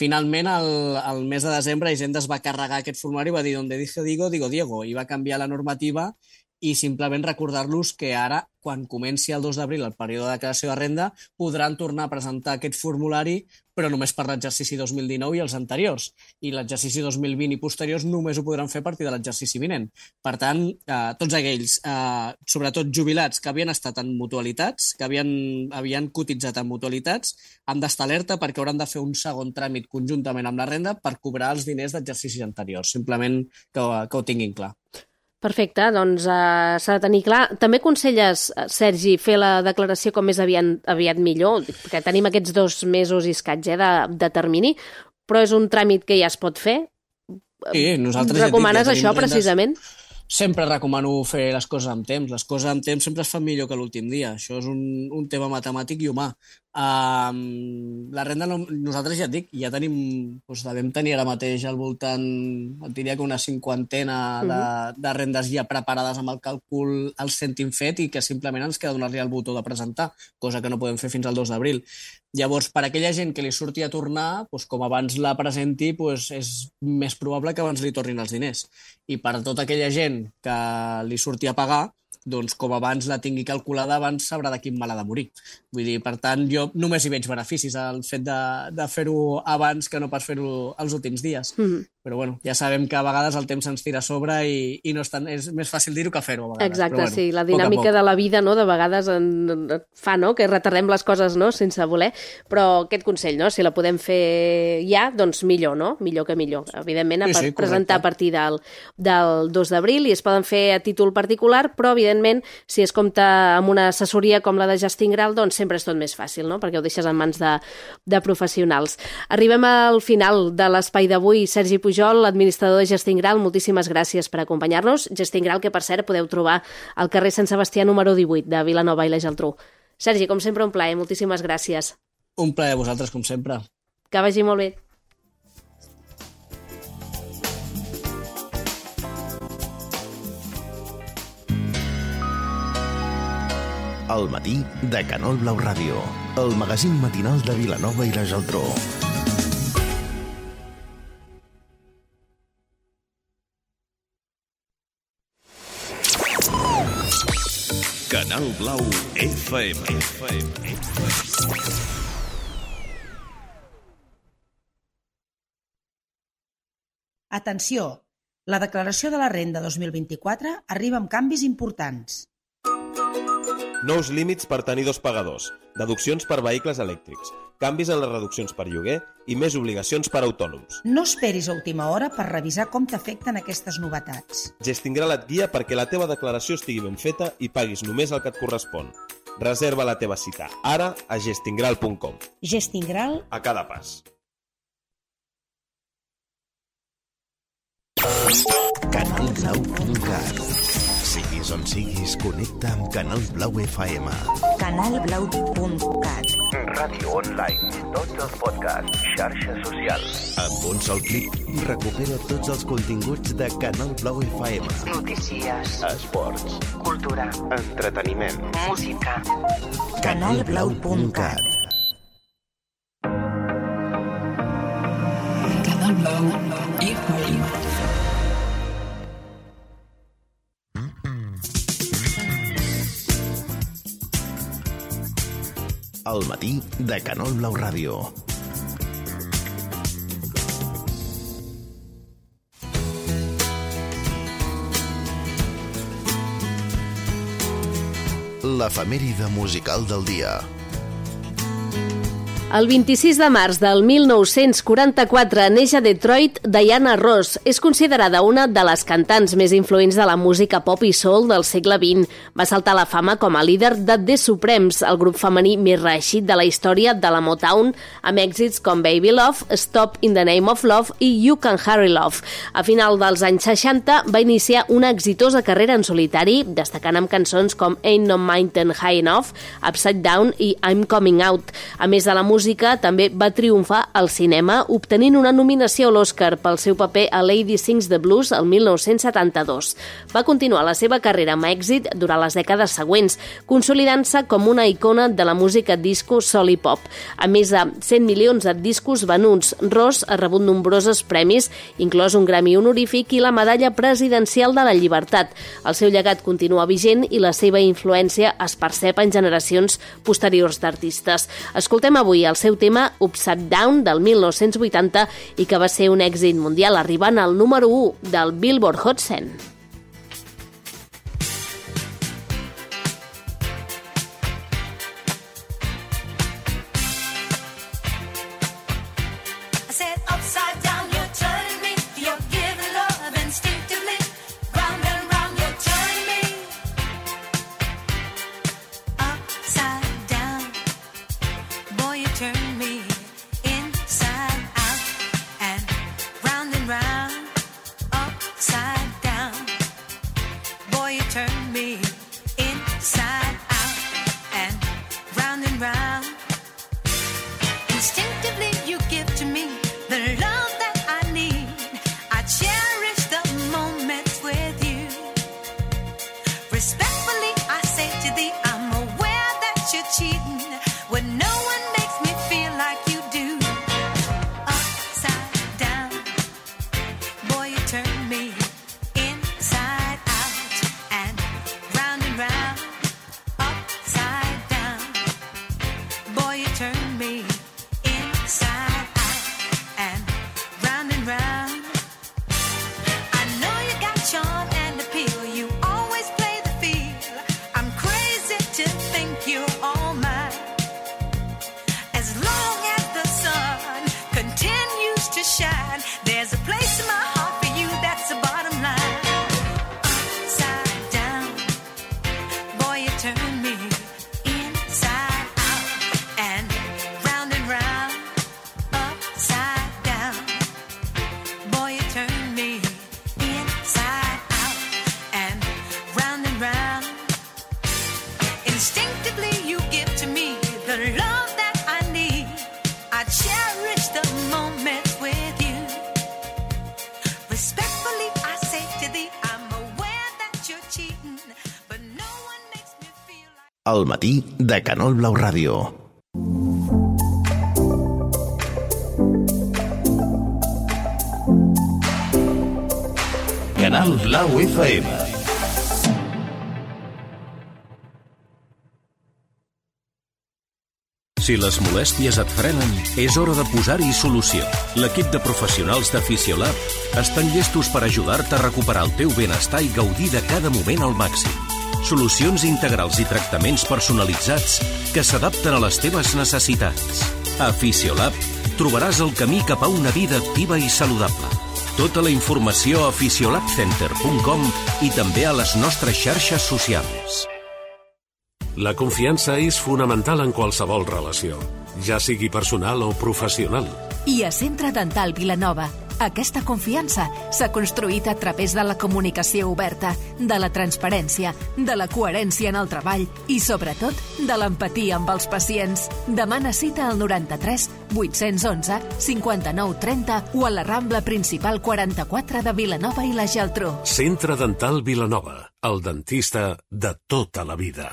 Finalment, el mes de desembre, Hisenda es va carregar aquest formulari i va dir donde dije digo, digo Diego, i va canviar la normativa i simplement recordar-los que ara, quan comenci el 2 d'abril el període de declaració de renda, podran tornar a presentar aquest formulari, però només per l'exercici 2019 i els anteriors. I l'exercici 2020 i posteriors només ho podran fer a partir de l'exercici vinent. Per tant, tots aquells, sobretot jubilats, que havien estat en mutualitats, que havien cotitzat en mutualitats, han d'estar alerta perquè hauran de fer un segon tràmit conjuntament amb la renda per cobrar els diners d'exercicis anteriors. Simplement que ho tinguin clar. Perfecte, doncs s'ha de tenir clar. També aconselles, Sergi, fer la declaració com més aviat millor, perquè tenim aquests 2 mesos i escaig de termini, però és un tràmit que ja es pot fer? Sí, nosaltres recomanes això precisament? sempre recomano fer les coses amb temps. Les coses amb temps sempre es fan millor que l'últim dia. Això és un tema matemàtic i humà. La renda, nosaltres ja et dic, ja tenim, doncs devem tenir ara mateix al voltant, et diria que una 50 de rendes ja preparades amb el càlcul al cèntim fet i que simplement ens queda donar-li el botó de presentar, cosa que no podem fer fins al 2 d'abril. Llavors, per aquella gent que li surti a tornar, doncs, com abans la presenti, doncs, és més probable que abans li tornin els diners. I per tota aquella gent que li surti a pagar, doncs com abans la tingui calculada, abans sabrà de quin mal ha de morir. Vull dir, per tant, jo només hi veig beneficis al fet de fer-ho abans que no pas fer-ho els últims dies. Però bueno, ja sabem que a vegades el temps ens tira a sobre i no és més fàcil dir-ho que fer-ho a vegades. Exacte, però, bueno, sí, la dinàmica de la vida, no?, de vegades fa, no?, que retardem les coses, no?, sense voler, però aquest consell, no?, si la podem fer ja, doncs millor, no?, millor que millor. Evidentment, sí, presentar a partir del 2 d'abril i es poden fer a títol particular, però evidentment, si es compta amb una assessoria com la de Gestin Gral, doncs sempre és tot més fàcil, no?, perquè ho deixes en mans de professionals. Arribem al final de l'espai d'avui. Sergi Pujol, administrador de Gestin Gral, moltíssimes gràcies per acompanyar-nos. Gestin Gral, que per cert podeu trobar al carrer Sant Sebastià número 18 de Vilanova i la Geltrú. Sergi, com sempre, un plaer, moltíssimes gràcies. Un plaer a vosaltres, com sempre. Que vagi molt bé. El matí de Canal Blau Ràdio, el magazín matinal de Vilanova i la Geltrú. Canal Blau FM. Atenció! La declaració de la renda 2024 arriba amb canvis importants. Nous límits per tenir 2 pagadors, deduccions per vehicles elèctrics, canvis en les reduccions per lloguer i més obligacions per autònoms. No esperis a última hora per revisar com t'afecten aquestes novetats. Gestin Gral et guia perquè la teva declaració estigui ben feta i paguis només el que et correspon. Reserva la teva cita ara a gestingral.com. Gestin Gral a cada pas. Canalblau.cat. Siguis on siguis, connecta amb Canal Blau FM. Canalblau.cat. Ràdio online, tots els podcasts, xarxes socials. Amb un sol clic, recupera tots els continguts de Canal Blau FM. Notícies, esports, cultura, entreteniment, música. Canalblau.cat. Canal Blau FM. El matí de Canal Blau Ràdio. L'efemèride musical del dia. El 26 de març del 1944 neix a Detroit Diana Ross. És considerada una de les cantants més influents de la música pop i soul del segle XX. Va saltar a la fama com a líder de The Supremes, el grup femení més reeixit de la història de la Motown, amb èxits com Baby Love, Stop in the Name of Love i You Can Hurry Love. A final dels anys 60 va iniciar una exitosa carrera en solitari, destacant amb cançons com Ain't No Mountain High Enough, Upside Down i I'm Coming Out. A més de la música, també va triomfar al cinema, obtenint una nominació a l'Oscar pel seu paper a Lady Sings the Blues el 1972. Va continuar la seva carrera amb èxit durant les dècades següents, consolidant-se com una icona de la música disco, soul i pop. A més de 100 milions de discos venuts, Ross ha rebut nombrosos premis, inclòs un Grammy honorífic i la Medalla Presidencial de la Llibertat. El seu llegat continua vigent i la seva influència es percep en generacions posteriors d'artistes. Escoltem avui el seu tema Upside Down del 1980 i que va ser un èxit mundial, arribant al número 1 del Billboard Hot 100. Round, upside down. me inside out and round, upside down. Boy, you turn me inside out and round. I know you got charm and appeal. You always play the field. I'm crazy to think you're all mine. As long as the sun continues to shine, there's a place in my heart for you, that's the bottom line. Upside down, boy, you turn me inside out and round, upside down. Boy, you turn me inside out and round. Instinctively you give to me the love that I need. I cherish the moments with you. Respectfully I say to thee, I'm aware that you're cheating, but no one makes me feel like... El matí de Canal Blau Ràdio. Canal Blau FM. Si les molèsties et frenen, és hora de posar-hi solució. L'equip de professionals de Fisiolab estan llestos per ajudar-te a recuperar el teu benestar i gaudir de cada moment al màxim. Solucions integrals i tractaments personalitzats que s'adapten a les teves necessitats. A Fisiolab trobaràs el camí cap a una vida activa i saludable. Tota la informació a fisiolabcenter.com i també a les nostres xarxes socials. La confiança és fonamental en qualsevol relació, ja sigui personal o professional. I a Centre Dental Vilanova, aquesta confiança s'ha construït a través de la comunicació oberta, de la transparència, de la coherència en el treball i, sobretot, de l'empatia amb els pacients. Demana cita al 93 811 59 30 o a la Rambla Principal 44 de Vilanova i la Geltrú. Centre Dental Vilanova, el dentista de tota la vida.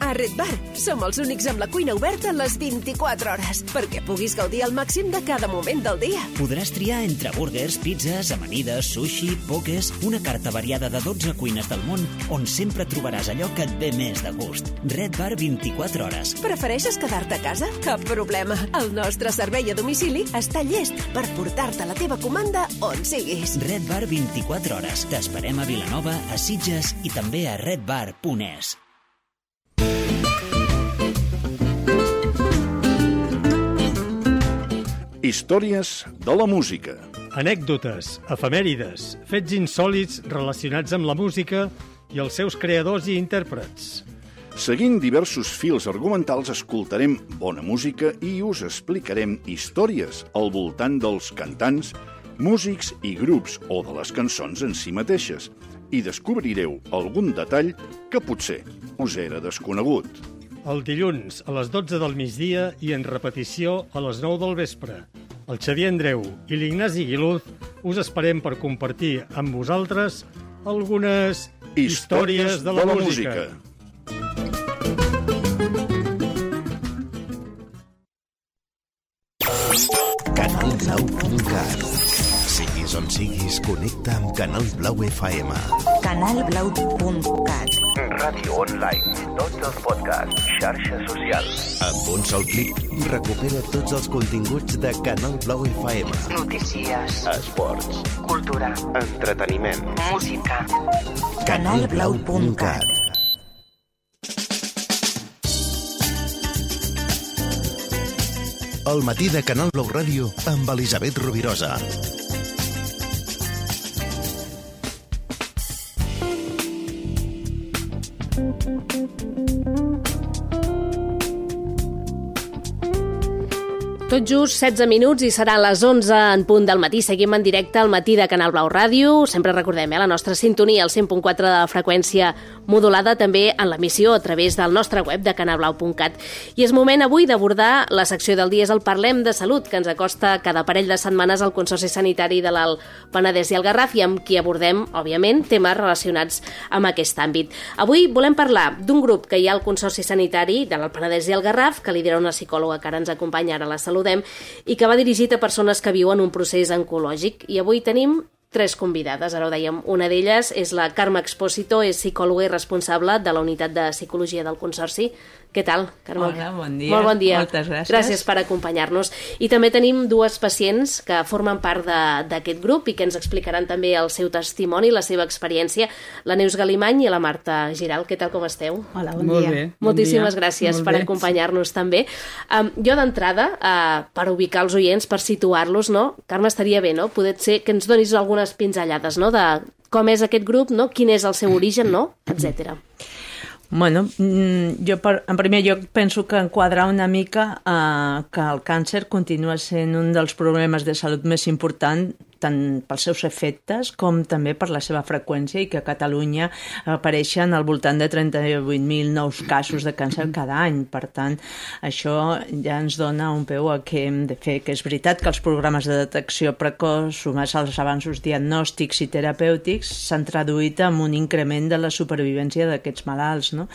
A Red Bar som els únics amb la cuina oberta les 24 hores perquè puguis gaudir al màxim de cada moment del dia. Podràs triar entre burgers, pizzas, amanides, sushi, pokés, una carta variada de 12 cuines del món on sempre trobaràs allò que et ve més de gust. Red Bar 24 hores. Prefereixes quedar-te a casa? Cap problema. El nostre servei a domicili està llest per portar-te la teva comanda on siguis. Red Bar 24 hores. T'esperem a Vilanova, a Sitges i també a redbar.es. Històries de la música. Anècdotes, efemèrides, fets insòlits relacionats amb la música i els seus creadors i intèrprets. Seguint diversos fils argumentals, escoltarem bona música i us explicarem històries al voltant dels cantants, músics i grups o de les cançons en si mateixes, i descobrireu algun detall que potser us era desconegut. El dilluns a les 12 del migdia i en repetició a les 9 del vespre. El Xavier Andreu i l'Ignasi Guiluz us esperem per compartir amb vosaltres algunes històries de la música. Canalblau.cat. Siguis on siguis, connecta amb Canal Blau FM. Canalblau.cat. Ràdio online, tots els podcasts, xarxes socials. Amb un sol clic, recupera tots els continguts de Canal Blau FM. Notícies, Esports, cultura, entreteniment, música. Canalblau.cat. El matí de Canal Blau Ràdio amb Elisabet Rovirosa. Tot just 16 minuts i seran les 11 en punt del matí. Seguim en directe al matí de Canal Blau Ràdio. Sempre recordem la nostra sintonia, el 100.4 de la freqüència modulada, també en l'emissió a través del nostre web de canalblau.cat. I és moment avui d'abordar la secció del dia, és el Parlem de Salut, que ens acosta cada parell de setmanes al Consorci Sanitari de l'Alt Penedès i el Garraf, i amb qui abordem, òbviament, temes relacionats amb aquest àmbit. Avui volem parlar d'un grup que hi ha al Consorci Sanitari de l'Alt Penedès i el Garraf, que lidera una psicòloga que ara ens acompanya, ara la saludem, i que va dirigit a persones que viuen un procés oncològic. I avui tenim 3 convidades, ara ho dèiem. Una d'elles és la Carme Expósito, és psicòloga i responsable de la unitat de psicologia del Consorci. Què tal, Carme? Hola, bon dia. Molt bon dia. Moltes gràcies. Gràcies per acompanyar-nos. I també tenim 2 pacients que formen part d'aquest grup i que ens explicaran també el seu testimoni, la seva experiència, la Neus Galimany i la Marta Giral. Què tal, com esteu? Hola, bon dia. Bé, moltíssimes gràcies per acompanyar-nos també. Jo d'entrada, per ubicar els oients, per situar-los, no? Carme, estaria bé, no? Poder ser que ens donis algunes pinzellades, no? De com és aquest grup, no? Quin és el seu origen, no? Etcètera. Bueno, jo en primer lloc penso que enquadrar una mica que el càncer continua sent un dels problemes de salut més important, tant pels seus efectes com també per la seva freqüència, i que a Catalunya apareixen al voltant de 38.000 nous casos de càncer cada any. Per tant, això ja ens dona un peu a què hem de fer, que és veritat que els programes de detecció precoç sumats als avanços diagnòstics i terapèutics s'han traduït en un increment de la supervivència d'aquests malalts, no?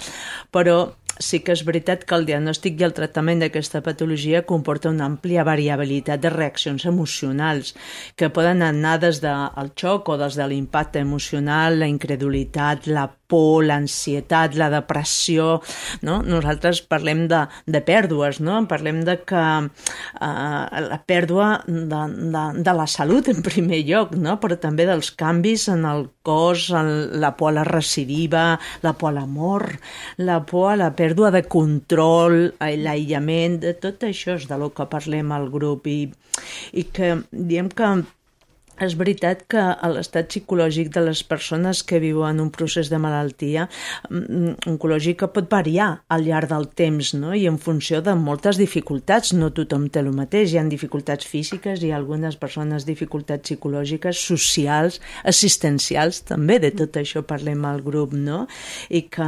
Però sí que és veritat que el diagnòstic i el tractament d'aquesta patologia comporta una àmplia variabilitat de reaccions emocionals que poden anar des del xoc o des de l'impacte emocional, la incredulitat, la por, l'ansietat, la depressió, no? Nosaltres parlem de pèrdues, no? Parlem de que la pèrdua de la salut en primer lloc, no? Però també dels canvis en el cos, la por a la recidiva, la por a l'amor, la por a la pèrdua de control, l'aïllament, de tot això és de lo que parlem al grup, i que diem que és veritat que l'estat psicològic de les persones que viuen un procés de malaltia oncològica pot variar al llarg del temps, no? I en funció de moltes dificultats. No tothom té el mateix. Hi ha dificultats físiques i algunes persones dificultats psicològiques, socials, assistencials, també de tot això parlem al grup, no? I que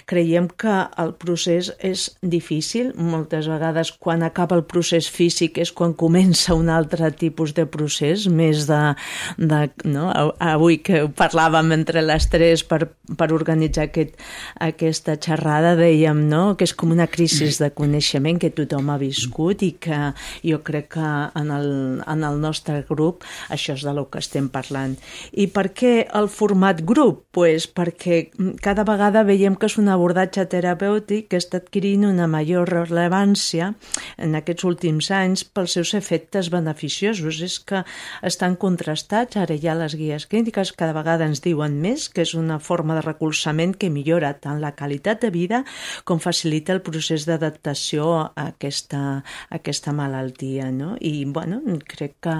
creiem que el procés és difícil. Moltes vegades quan acaba el procés físic és quan comença un altre tipus de procés, més no? Avui que parlàvem entre les 3 per organitzar aquesta xerrada, dèiem, no? Que és com una crisi de coneixement que tothom ha viscut, i que jo crec que en el nostre grup això és de lo que estem parlant. I per què el format grup? Pues perquè cada vegada veiem que és un abordatge terapèutic que està adquirint una major rellevància en aquests últims anys pels seus efectes beneficiosos. És que estan contrastats, ara ja les guies clíniques cada vegada ens diuen més que és una forma de recolzament que millora tant la qualitat de vida com facilita el procés d'adaptació a aquesta malaltia, no? I, bueno, crec que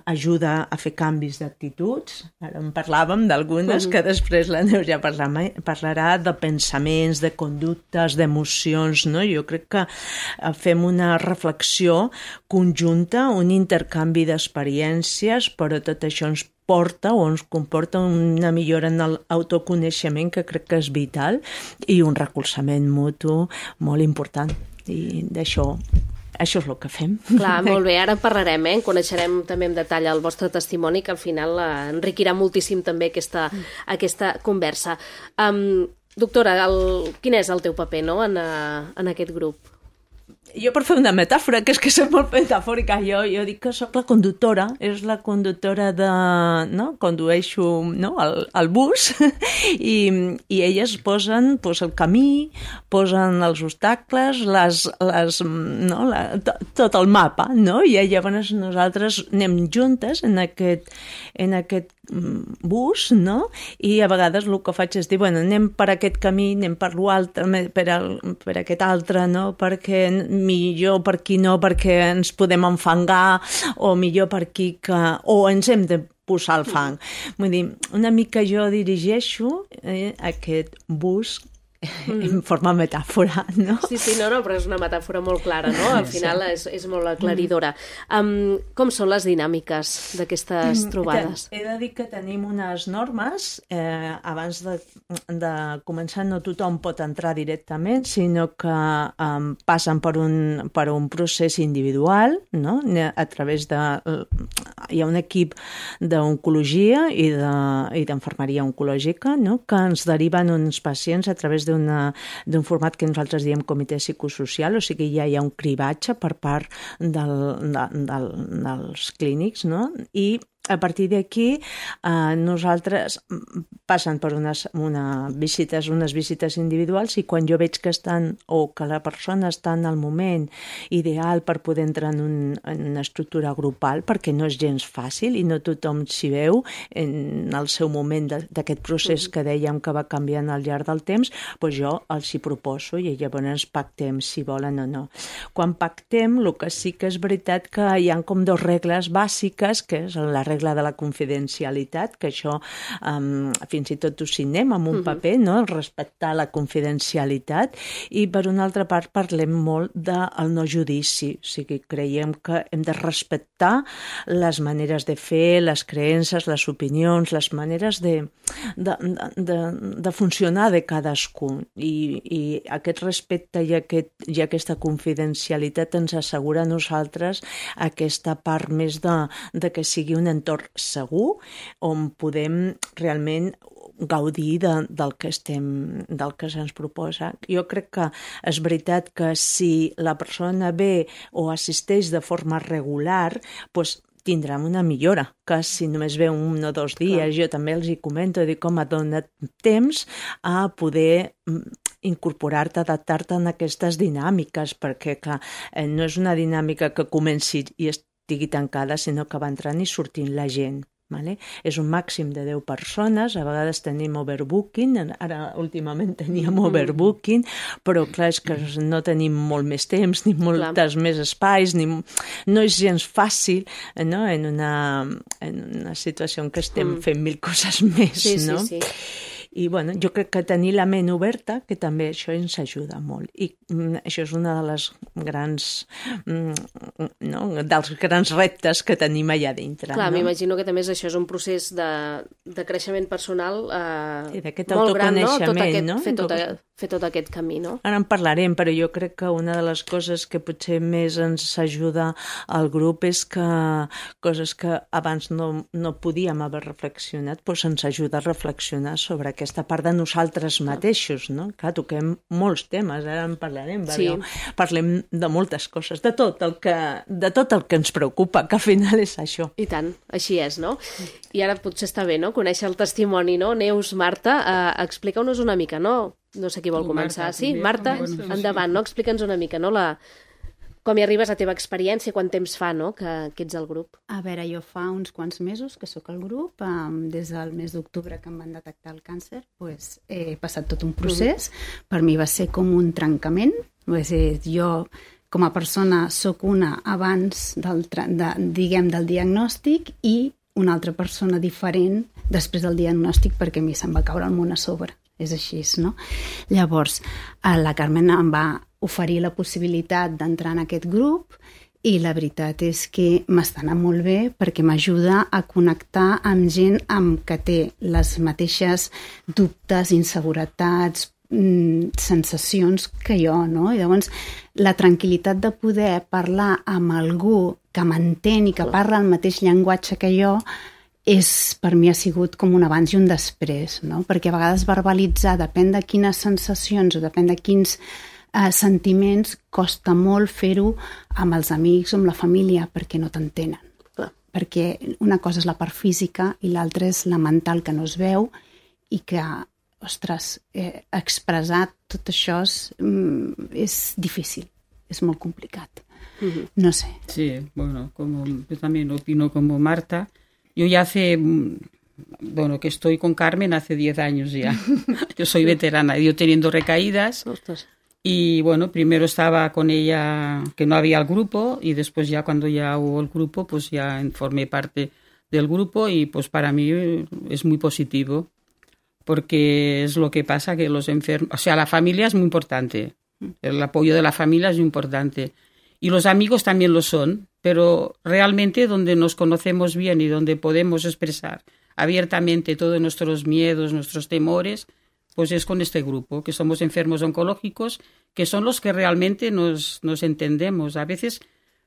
ajuda a fer canvis d'actituds. Ara en parlàvem d'algunes que després la Neus ja parlarà, de pensaments, de conductes, d'emocions, no? Jo crec que fem una reflexió conjunta, un intercanvi d'experiències, però tot això ens porta o ens comporta una millora en l'autoconeixement que crec que és vital, i un recolzament mutu molt important. I d'això és el que fem. Clar, molt bé, ara en parlarem, coneixerem també en detall el vostre testimoni, que al final enriquirà moltíssim també aquesta conversa. Doctora, quin és el teu paper, no, en aquest grup? Jo, per fer una metàfora, que és que soc molt metafòrica, jo dic que soc la conductora, és la conductora de... no? Condueixo, no? el bus, i elles posen el camí, posen els obstacles, tot el mapa, no? I llavors nosaltres anem juntes en aquest bus, no? I a vegades el que faig és dir, bueno, anem per aquest camí, anem per l'altre, per aquest altre, no? Perquè millor per aquí no, perquè ens podem enfangar, o millor per aquí o ens hem de posar el fang. Vull dir, una mica jo dirigeixo aquest bus en forma metàfora, no? Sí, no, però és una metàfora molt clara, no? Al final és molt aclaridora. Com són les dinàmiques d'aquestes trobades? He de dir que tenim unes normes. Abans de començar no tothom pot entrar directament, sinó que passen per un procés individual, no? A través de... Hi ha un equip d'oncologia i d'infermeria oncològica, no? Que ens deriven uns pacients a través d'un format que nosaltres diem comitè psicosocial, o sigui, ja hi ha un cribatge per part dels clínics, no? I a partir d'aquí nosaltres passen per unes visites individuals i quan jo veig que estan o que la persona està en el moment ideal per poder entrar en una estructura grupal, perquè no és gens fàcil i no tothom s'hi veu en el seu moment d'aquest procés que dèiem que va canviant al llarg del temps, doncs jo els hi proposo i llavors pactem si volen o no. Quan pactem, el que sí que és veritat que hi ha com dues regles bàsiques, que és la regla de la confidencialitat, que això fins i tot ho signem amb un paper, no? Respectar la confidencialitat, i per una altra part parlem molt del no judici, o sigui, creiem que hem de respectar les maneres de fer, les creences, les opinions, les maneres de funcionar de cadascú, i aquest respecte i aquesta confidencialitat ens assegura a nosaltres aquesta part més de que sigui un entorn segur on podem realment gaudir del que se'ns proposa. Jo crec que és veritat que si la persona ve o assisteix de forma regular, doncs tindrem una millora, que si només ve 1 o 2 dies, jo també els hi comento, dic, home, dona't temps a poder incorporar-te, adaptar-te en aquestes dinàmiques, perquè clar, no és una dinàmica que comenci i estigui tancada, sinó que va entrant i sortint la gent. Vale? És un màxim de 10 persones, a vegades tenim overbooking, ara últimament teníem overbooking, però clar, és que no tenim molt més temps, ni moltes més espais, no és gens fàcil, no? En una situació en què estem fent 1000 coses més, no? Sí. I bueno, jo crec que tenir la ment oberta, que també això ens ajuda molt. I això és una de les grans, dels grans reptes que tenim allà dintre. Clar, m'imagino que també això és un procés de creixement personal d'aquest molt gran, no? Fer tot aquest camí, no? Ara en parlarem, però jo crec que una de les coses que potser més ens ajuda al grup és que coses que abans no podíem haver reflexionat, doncs ens ajuda a reflexionar sobre aquesta part de nosaltres mateixos, no? Clar, toquem molts temes, ara en parlarem, perquè parlem de moltes coses, de tot el que ens preocupa, que al final és això. I tant, així és, no? I ara potser està bé, no?, conèixer el testimoni, no? Neus, Marta, explica-nos una mica, no? No sé qui vol començar. Sí, Marta, endavant, no? Explica'ns una mica, no? Com hi arribes a la teva experiència, quant temps fa, no?, que ets al grup. A veure, jo fa uns quants mesos que sóc al grup, des del mes d'octubre que em van detectar el càncer, he passat tot un procés. Per mi va ser com un trencament. Jo, com a persona, sóc una abans del diagnòstic i una altra persona diferent després del diagnòstic, perquè a mi se'm va caure el món a sobre. És així, no? Llavors, la Carmen em va oferir la possibilitat d'entrar en aquest grup i la veritat és que m'està anant molt bé perquè m'ajuda a connectar amb gent que té les mateixes dubtes, inseguretats, sensacions que jo, no? I llavors la tranquil·litat de poder parlar amb algú que m'entén i que parla el mateix llenguatge que jo per mi ha sigut com un abans i un després, no? Perquè a vegades verbalitzar, depèn de quines sensacions o depèn de quins sentiments, costa molt fer-ho amb els amics o amb la família perquè no t'entenen. Perquè una cosa és la part física i l'altra és la mental, que no es veu i que, ostres, expressar tot això és difícil, és molt complicat. No sé. Sí, bueno, yo también opino como Marta. Yo ya que estoy con Carmen hace 10 años ya. Yo soy veterana, yo teniendo recaídas. Y bueno, primero estaba con ella, que no había el grupo, y después ya cuando ya hubo el grupo, pues ya formé parte del grupo y pues para mí es muy positivo, porque es lo que pasa, que los enfermos, o sea, la familia es muy importante, el apoyo de la familia es muy importante. Y los amigos también lo son, pero realmente donde nos conocemos bien y donde podemos expresar abiertamente todos nuestros miedos, nuestros temores, pues es con este grupo, que somos enfermos oncológicos, que son los que realmente nos entendemos. A veces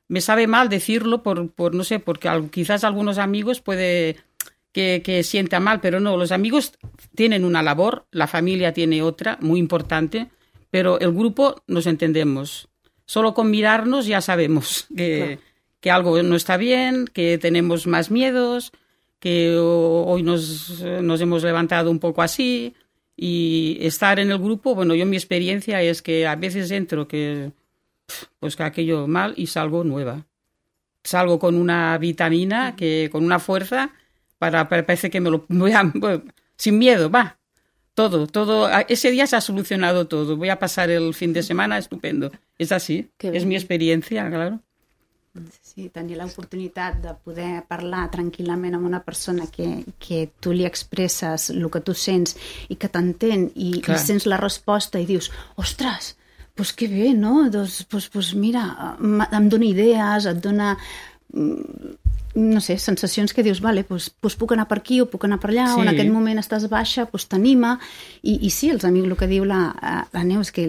me sabe mal decirlo por no sé, porque quizás algunos amigos puede que sienta mal, pero no, los amigos tienen una labor, la familia tiene otra, muy importante, pero el grupo nos entendemos. Solo con mirarnos ya sabemos que algo no está bien, que tenemos más miedos, que hoy nos hemos levantado un poco así, y estar en el grupo, bueno, yo mi experiencia es que a veces entro que aquello mal y salgo nueva. Salgo con una vitamina, con una fuerza, parece que me lo voy a, sin miedo, va. Todo, ese día se ha solucionado todo. Voy a pasar el fin de semana estupendo. És així, és mi experiència, claro. Sí, tenir l'oportunitat de poder parlar tranquil·lament amb una persona que tu li expresses el que tu sents i que t'entén i sents la resposta i dius, ostres, doncs que bé, no? Doncs mira, em dona idees, et dona, no sé, sensacions que dius, vale, doncs puc anar per aquí o puc anar per allà, o en aquest moment estàs baixa, doncs t'anima. I sí, els amics, el que diu la Neus, que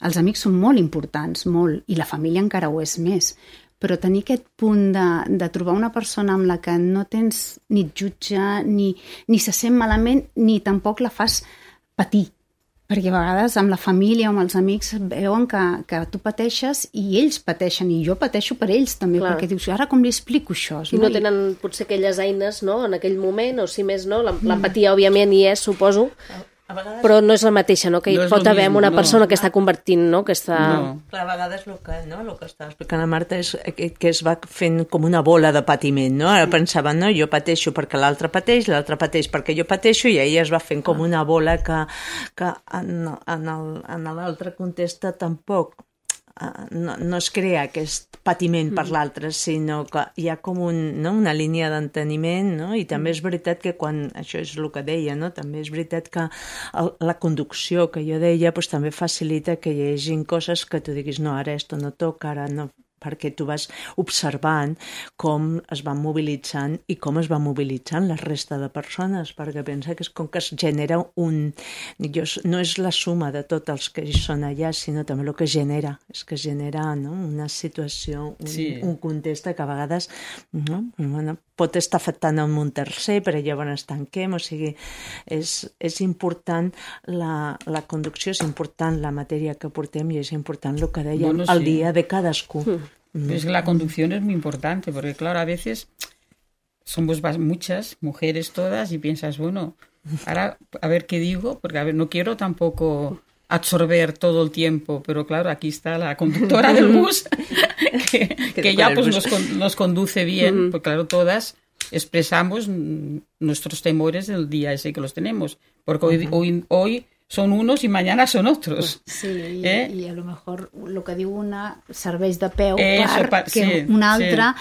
els amics són molt importants, molt, i la família encara ho és més, però tenir aquest punt de trobar una persona amb la que no tens ni et jutja, ni se sent malament, ni tampoc la fas patir, perquè a vegades amb la família o amb els amics veuen que tu pateixes i ells pateixen, i jo pateixo per ells també, perquè dius, ara com li explico això? I no tenen potser aquelles eines, no?, en aquell moment, o si més no, l'empatia òbviament hi és, suposo, però no és la mateixa, no?, que hi pot haver una persona que està convertint, no?, que està... Clar, a vegades el que està explicant la Marta és que es va fent com una bola de patiment, no? Ara pensava, no, jo pateixo perquè l'altre pateix perquè jo pateixo, i ella es va fent com una bola que en l'altre contesta tampoc no es crea aquest patiment per l'altre, sinó que hi ha com una línia d'enteniment, no? I també és veritat que quan, això és el que deia, no? També és veritat que la conducció que jo deia doncs, també facilita que hi hagi coses que tu diguis, no, ara esto no toca, ara no, perquè tu vas observant com es van mobilitzant i com es va mobilitzant la resta de persones, perquè pensa que és com que es genera no és la suma de tots els que hi són allà, sinó també el que genera, és que genera, no?, una situació, un context que a vegades pot estar afectant a un tercer, però llavors es tanquem, o sigui, és important la conducció, és important la matèria que portem i és important el que deia el dia de cadascú. Pues la conducción es muy importante, porque claro, a veces somos muchas mujeres todas y piensas, bueno, ahora a ver qué digo, porque a ver, no quiero tampoco absorber todo el tiempo, pero claro, aquí está la conductora del bus que ya pues nos conduce bien, porque claro, todas expresamos nuestros temores del día ese que los tenemos, porque hoy son unos y mañana son otros. Sí, i a lo mejor el que diu una serveix de peu perquè una altra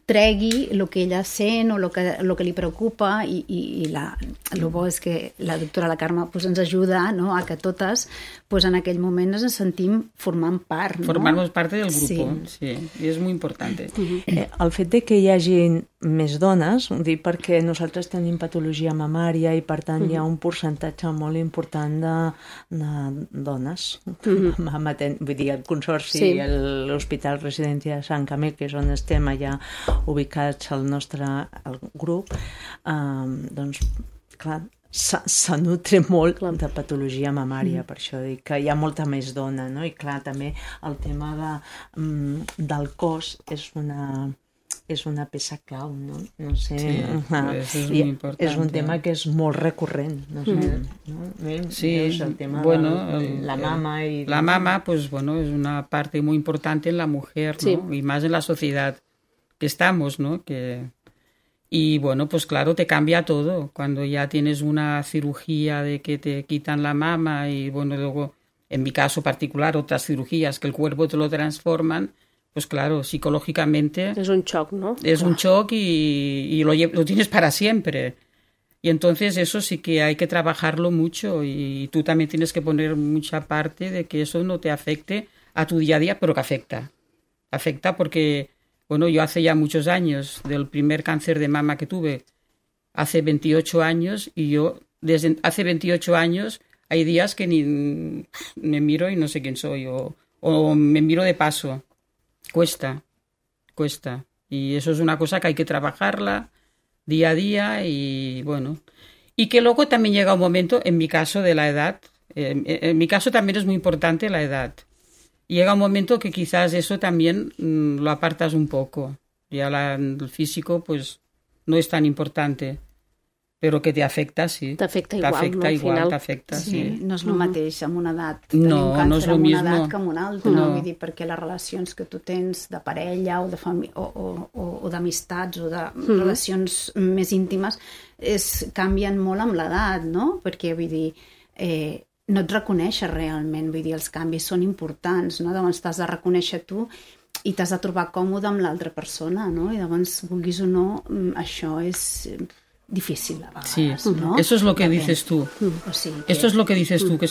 tregui el que ella sent o el que li preocupa, i el bo és que la doctora la Carme ens ajuda, no?, a que totes en aquell moment ens sentim formant part. Formamos parte del grupo, sí, i és molt important. El fet de que hi hagi més dones, ho dic perquè nosaltres tenim patologia mamària i per tant hi ha un percentatge molt important de dones. Vull dir, el Consorci i l'Hospital Residència de Sant Camil, que és on estem allà ubicats el nostre grup, doncs, clar, se nutre molt de patologia mamària, per això dic que hi ha molta més dona, no? I clar, també el tema del cos és una peça clau, no? No sé, és un tema que és molt recurrent, no sé, sí, el tema bueno, de la mama y la mama, pues bueno, es una parte muy importante en la mujer, ¿no? Y más en la sociedad que estamos, ¿no? Y bueno, pues claro, te cambia todo. Cuando ya tienes una cirugía de que te quitan la mama y bueno, luego, en mi caso particular, otras cirugías que el cuerpo te lo transforman, pues claro, psicológicamente... Es un shock, ¿no? Es un shock y lo tienes para siempre. Y entonces eso sí que hay que trabajarlo mucho y tú también tienes que poner mucha parte de que eso no te afecte a tu día a día, pero que afecta. Afecta porque... Bueno, yo hace ya muchos años, del primer cáncer de mama que tuve, hace 28 años, y yo desde hace 28 años hay días que ni me miro y no sé quién soy, o me miro de paso. Cuesta. Y eso es una cosa que hay que trabajarla día a día y bueno. Y que luego también llega un momento, en mi caso de la edad, en mi caso también es muy importante la edad. Llega un momento que quizás eso también lo apartas un poco. Ya el físico, pues no es tan importante, pero que te afecta, sí. T'afecta igual, t'afecta no? igual, t'afecta, sí. No és el mateix amb una edat. No, Tenim càncer no és lo amb una mismo. edat que amb una altra. No. Vull dir, perquè les relacions que tu tens de parella o de o d'amistats o de relacions més íntimes canvien molt amb l'edat, no? Perquè, vull dir, no et reconeixes realment, vull dir, els canvis són importants, no? Llavors t'has de reconèixer tu i t'has de trobar còmode amb l'altra persona, no? I llavors, vulguis o no, això és difícil a vegades, sí. ¿no? Eso es lo que dices tú. O sigui que... Esto es lo que dices tú, que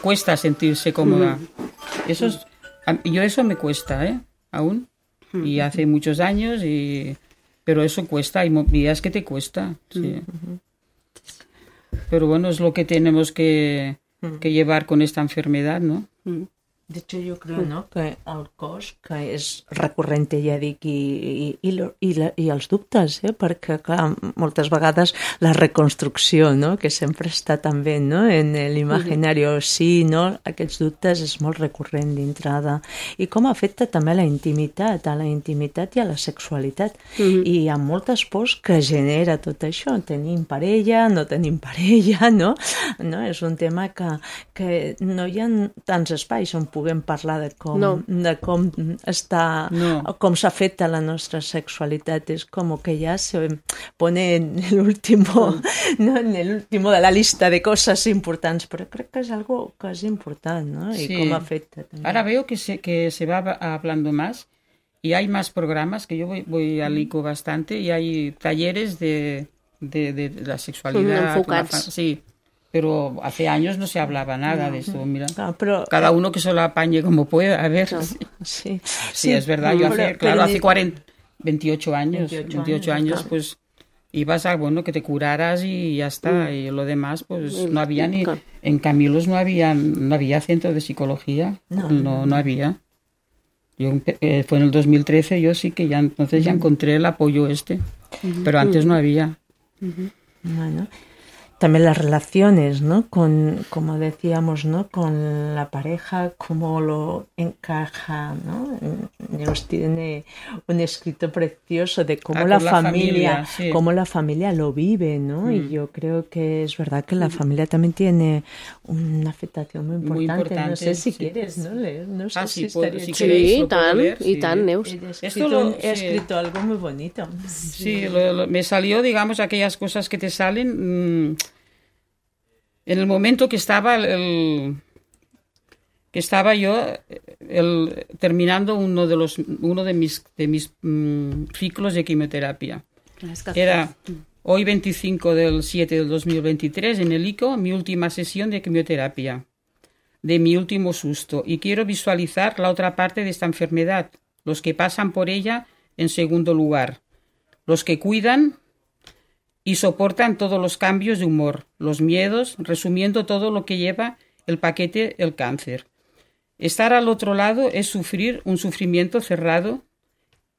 cuesta sentirse cómoda. Yo eso me cuesta, aún. Y hace muchos años, pero eso cuesta, hay días que te cuesta, sí. Pero bueno, es lo que tenemos que llevar con esta enfermedad, ¿no? De hecho, yo creo, no?, que el cos, que és recurrent, ja dic, i els dubtes, perquè, clar, moltes vegades la reconstrucció, no?, que sempre està també, no?, en l'imaginari, sí, no?, aquests dubtes és molt recurrent d'entrada. I com afecta també a la intimitat i a la sexualitat. I hi ha moltes pors que genera tot això. Tenim parella, no tenim parella, no? És un tema que no hi ha tants espais on puguem parlar de com està, com s'afecta la nostra sexualitat. És com que ja se pone en l'último de la lista de cosas importants, però crec que és algo que és important, ¿no? Y sí. cómo afecta también. Ahora veo que se va hablando más y hay más programas, que yo voy al ICO bastante, y hay talleres de la sexualidad. Enfocats. Sí. Pero hace años no se hablaba nada de esto, mira. Pero, cada uno que se lo apañe como pueda, a ver. Sí, es verdad, yo hace 28 años, pues ibas a, que te curaras y ya está, y lo demás, pues no había ni... En Camilos no había centro de psicología, no había. Fue en el 2013, yo sí que ya encontré el apoyo pero antes no había. Bueno... También las relaciones, ¿no? Como decíamos, ¿no? Con la pareja, cómo lo encaja, ¿no? Nos tiene un escrito precioso de cómo la familia sí. Cómo la familia lo vive, ¿no? Y yo creo que es verdad que la familia también tiene una afectación muy importante. No sé si quieres, ¿no? Leer, no sé si estaría... Sí, y tan, Neus. He escrito algo muy bonito. Sí, me salió, digamos, aquellas cosas que te salen... En el momento que estaba yo terminando uno de mis ciclos de quimioterapia. Era hoy 25 del 7 del 2023 en el ICO, mi última sesión de quimioterapia, de mi último susto, y quiero visualizar la otra parte de esta enfermedad, los que pasan por ella en segundo lugar, los que cuidan y soportan todos los cambios de humor, los miedos, resumiendo todo lo que lleva el paquete el cáncer. Estar al otro lado es sufrir un sufrimiento cerrado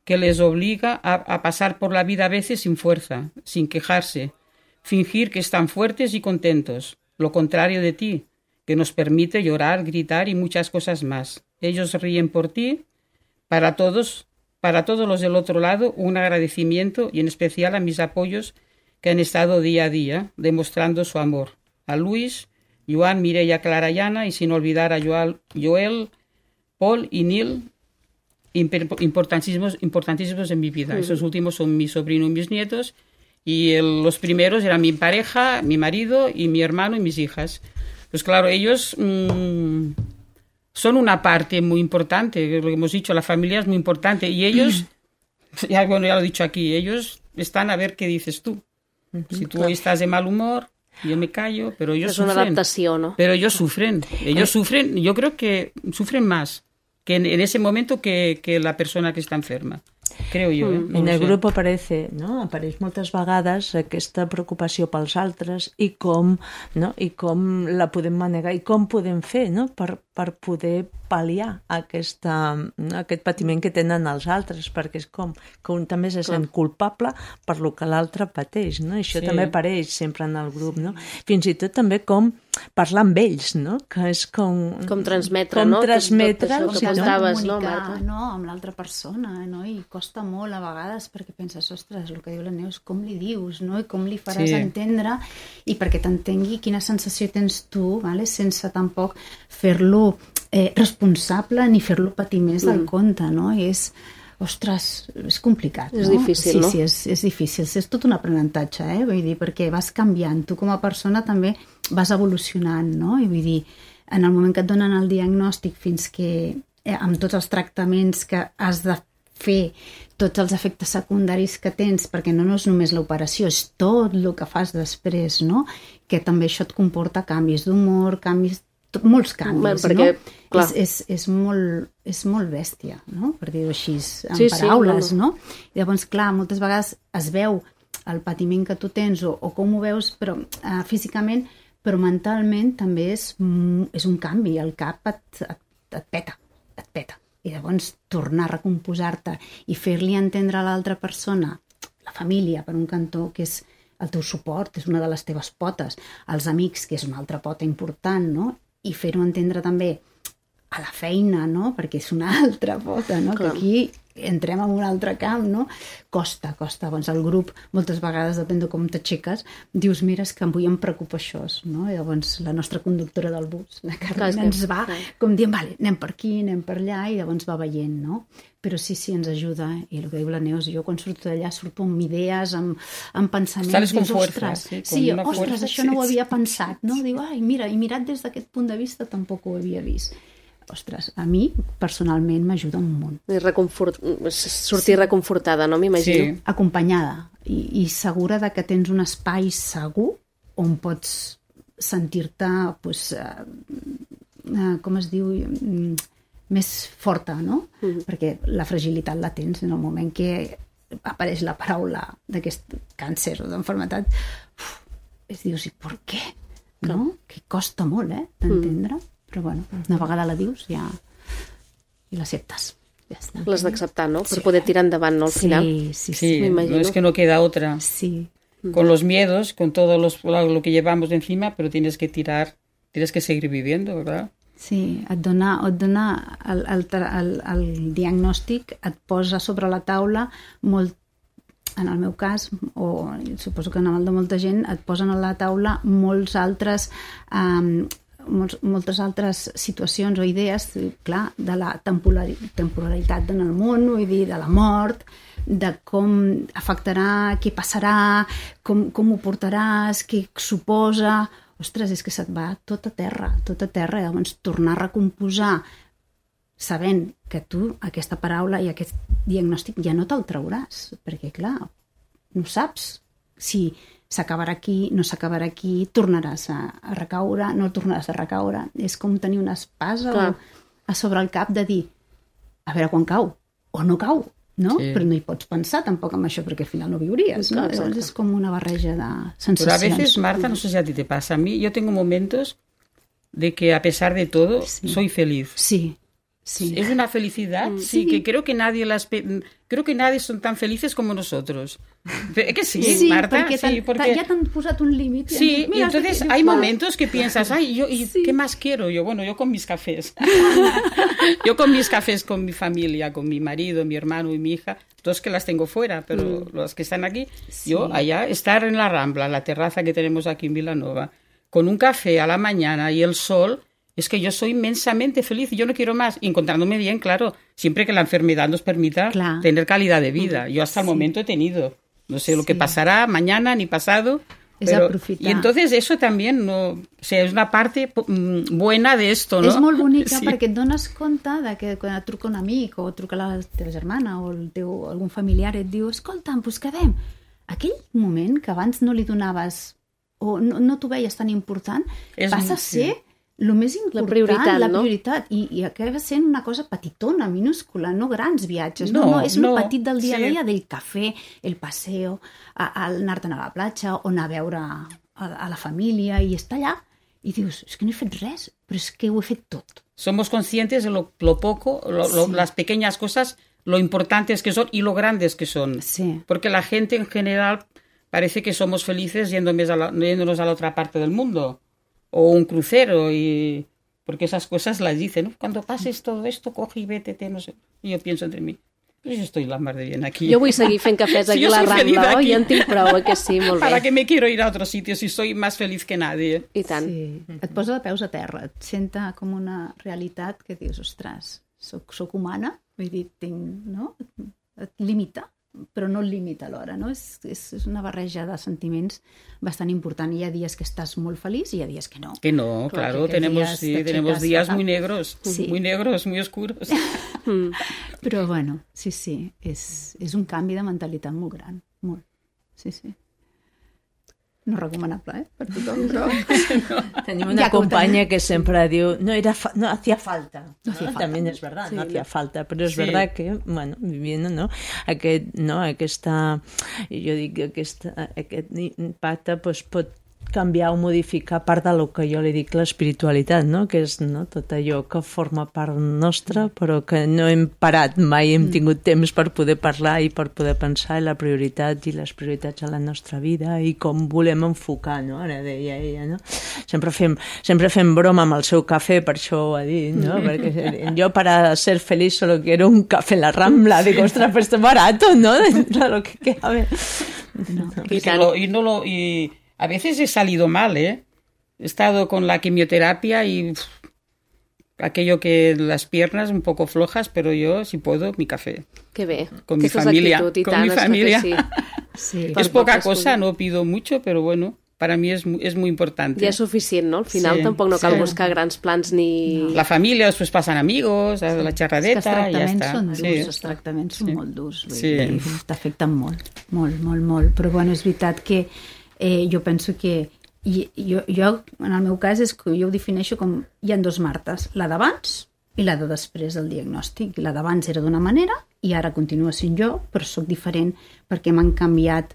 que les obliga a pasar por la vida a veces sin fuerza, sin quejarse, fingir que están fuertes y contentos, lo contrario de ti, que nos permite llorar, gritar y muchas cosas más. Ellos ríen por ti. Para todos los del otro lado, un agradecimiento, y en especial a mis apoyos que han estado día a día demostrando su amor. A Luis, Joan, Mireia, Clara y Ana, y sin olvidar a Joel, Paul y Neil, importantísimos en mi vida. Esos últimos son mi sobrino y mis nietos, y los primeros eran mi pareja, mi marido y mi hermano y mis hijas. Pues claro, ellos son una parte muy importante, lo que hemos dicho, la familia es muy importante, y ellos, ya lo he dicho aquí, ellos están a ver qué dices tú. Si tú hoy estás de mal humor, yo me callo, pero ellos sufren. Es una adaptación, ¿no? Pero ellos sufren, yo creo que sufren más que en ese momento que la persona que está enferma. Creo jo. No en el grup apareix moltes vegades aquesta preocupació pels altres i com la podem manegar i com podem fer, no? per per poder pal·liar aquest patiment que tenen els altres, perquè és com que un també se sent culpable per lo que l'altre pateix, no? Això també apareix sempre en el grup, no? Fins i tot també com parlar amb ells, no? Que és com transmetre, no? Com transmetre, tot això que portaves, no, comunicar, Marta? no, amb l'altra persona, no? I costa molt a vegades perquè penses, ostres, el que diu la Neus, com li dius, no? I com li faràs entendre, i perquè t'entengui quina sensació tens tu, vale? Sense tampoc fer-lo responsable ni fer-lo patir més del compte, no? I ostres, és complicat, no? És difícil, no? Sí, és difícil. És tot un aprenentatge, vull dir, perquè vas canviant. Tu com a persona també vas evolucionant, no? I vull dir, en el moment que et donen el diagnòstic fins que, amb tots els tractaments que has de fer, tots els efectes secundaris que tens, perquè no és només l'operació, és tot el que fas després, no? Que també això et comporta canvis d'humor, molts canvis, perquè, no? Clar. És molt bèstia, no? Per dir-ho així, en paraules, no? I llavors, clar, moltes vegades es veu el patiment que tu tens o com ho veus però físicament, però mentalment també és un canvi, el cap et peta. I llavors tornar a recomposar-te i fer-li entendre a l'altra persona, la família, per un cantó, que és el teu suport, és una de les teves potes, els amics, que és una altra pota important, no? I fer-ho entendre també a la feina, no? Perquè és una altra pota, no? Que aquí entrem en un altre camp, no? Costa. Doncs el grup, moltes vegades, depèn de com t'aixeques, dius, mira, és que avui em preocupa això, no? I llavors la nostra conductora del bus, la Carmen, ens va com dient, vale, anem per aquí, anem per allà, i llavors va veient, no? Però sí, ens ajuda, i el que diu la Neus, jo quan surto d'allà surto amb idees, amb pensaments, Sales con fuerza, ostres, això no ho havia pensat, no? Diu, ai, mira, i mirat des d'aquest punt de vista tampoc ho havia vist. Ostres, a mi personalment m'ajuda un munt. Sortir reconfortada, no? M'imagino. Sí. Acompanyada i segura de que tens un espai segur on pots sentir-te, com es diu, més forta, no? Perquè la fragilitat la tens en el moment que apareix la paraula d'aquest càncer o d'enfermetat, dius, i per què? No? Que costa molt, d'entendre. Però bueno, una vegada la dius ja i l'acceptes. Ja està. L'has d'acceptar, ¿no? Per poder tirar endavant, ¿no? Al final. Sí, no es que no queda otra. Sí. Con los miedos, con todo lo que llevamos encima, pero tienes que tirar, tienes que seguir viviendo, ¿verdad? Sí, et dona el diagnòstic, et posa sobre la taula molt, en el meu cas, o suposo que en el de molta gent, et posen a la taula moltes altres situacions o idees, clar, de la temporalitat en el món, vull dir, de la mort, de com afectarà, què passarà, com ho portaràs, què suposa. Ostres, és que se't va tot a terra, i llavors tornar a recomposar sabent que tu aquesta paraula i aquest diagnòstic ja no te'l trauràs, perquè clar, no saps si s'acabarà aquí, no s'acabarà aquí, tornaràs a recaure, no tornaràs a recaure. És com tenir una espasa a sobre el cap de dir, a veure quan cau, o no cau, no? Sí. Però no hi pots pensar tampoc en això, perquè al final no viuries, ¿no? Llavors és com una barreja de sensacions. Pero a veces, Marta, no sé si a ti te pasa, a mí yo tengo momentos de que a pesar de todo soy feliz. Sí. Sí. Es una felicidad, sí, que creo que nadie son tan felices como nosotros. Que sí, Marta, porque ya te han puesto un límite. Sí, y entonces hay momentos que piensas, ¿qué más quiero? Yo con mis cafés. Yo con mis cafés con mi familia, con mi marido, mi hermano y mi hija, dos que las tengo fuera, pero los que están aquí, yo allá, estar en la Rambla, en la terraza que tenemos aquí en Vilanova, con un café a la mañana y el sol. Es que yo soy inmensamente feliz y yo no quiero más. Y encontrándome bien, claro, siempre que la enfermedad nos permita tener calidad de vida. Yo hasta el momento he tenido. No sé lo que pasará mañana ni pasado. Pero, y entonces eso también es una parte buena de esto, no? És molt bonica perquè et dones compte de que quan et truca un amic o truca la teva germana o algun familiar et diu, escolta'm, doncs quedem. Aquell moment que abans no li donaves o no t'ho veies tan important, passa a ser el més important, la prioritat, i acaba sent una cosa petitona, minúscula, no grans viatges, no, és el petit del dia a dia, del cafè, el paseo, anar-te'n a la platja o anar a veure a la família i estar allà i dius, és que no he fet res, però és que ho he fet tot. Somos conscientes de lo poco, las pequeñas cosas, lo importantes que son y lo grandes que son. Sí. Porque la gente en general parece que somos felices yéndonos a la otra parte del mundo. O un crucero, porque esas cosas las dicen, ¿no? Cuando pases todo esto, coge y vete, no sé. Y yo pienso entre mí, pues yo estoy la mar de bien aquí. Jo vull seguir fent cafès aquí a la Rambla, oi? Ja en tinc prou, que sí, molt bé. ¿Para qué me quiero ir a otro sitio si soy más feliz que nadie? I tant. Sí. Et posa de peus a terra, et senta com una realitat que dius, ostres, soc humana, vull dir, no? Et limita, però no el limita alhora, no? És una barreja de sentiments bastant important. Hi ha dies que estàs molt feliç i hi ha dies que no. Que no, claro, tenemos días muy negros, muy oscuros. Però bueno, sí, és un canvi de mentalitat molt gran, molt, sí. No recomanable, per tothom, però... Tenim una companya que sempre diu no hacía falta. También es verdad, no hacía falta, però és verdad que, bueno, viviendo, no? Aquesta, jo dic que aquest impacte pot canviar o modificar part del que jo li dic l'espiritualitat, no? Que és tot allò que forma part nostra, però que no hem parat mai, hem tingut temps per poder parlar i per poder pensar en la prioritat i les prioritats a la nostra vida i com volem enfocar, no? Ara deia ella, no? Sempre fem broma amb el seu cafè, per això ho ha dit, no? Perquè jo para ser feliz solo quiero un café en la Rambla. Digo, ostras, pues es barato, ¿no? Dentro de lo que cabe. Y a veces he salido mal, ¿eh? He estado con la quimioterapia y aquello que las piernas un poco flojas, pero yo, si puedo, mi café. Qué bé. Con mi familia. Con mi familia. Sí. Es poca cosa, no pido mucho, pero bueno, para mí es muy importante. Ja és suficient, no? Al final tampoc no cal buscar grans plans ni... La familia, después pasan amigos, la xerradeta, i ja està. Els tractaments són molt durs. T'afecten molt. Però bueno, és veritat que jo penso que jo, en el meu cas, és que jo ho defineixo com hi ha dos Martes, la d'abans i la de després del diagnòstic. La d'abans era d'una manera i ara continua sent jo, però sóc diferent perquè m'han canviat.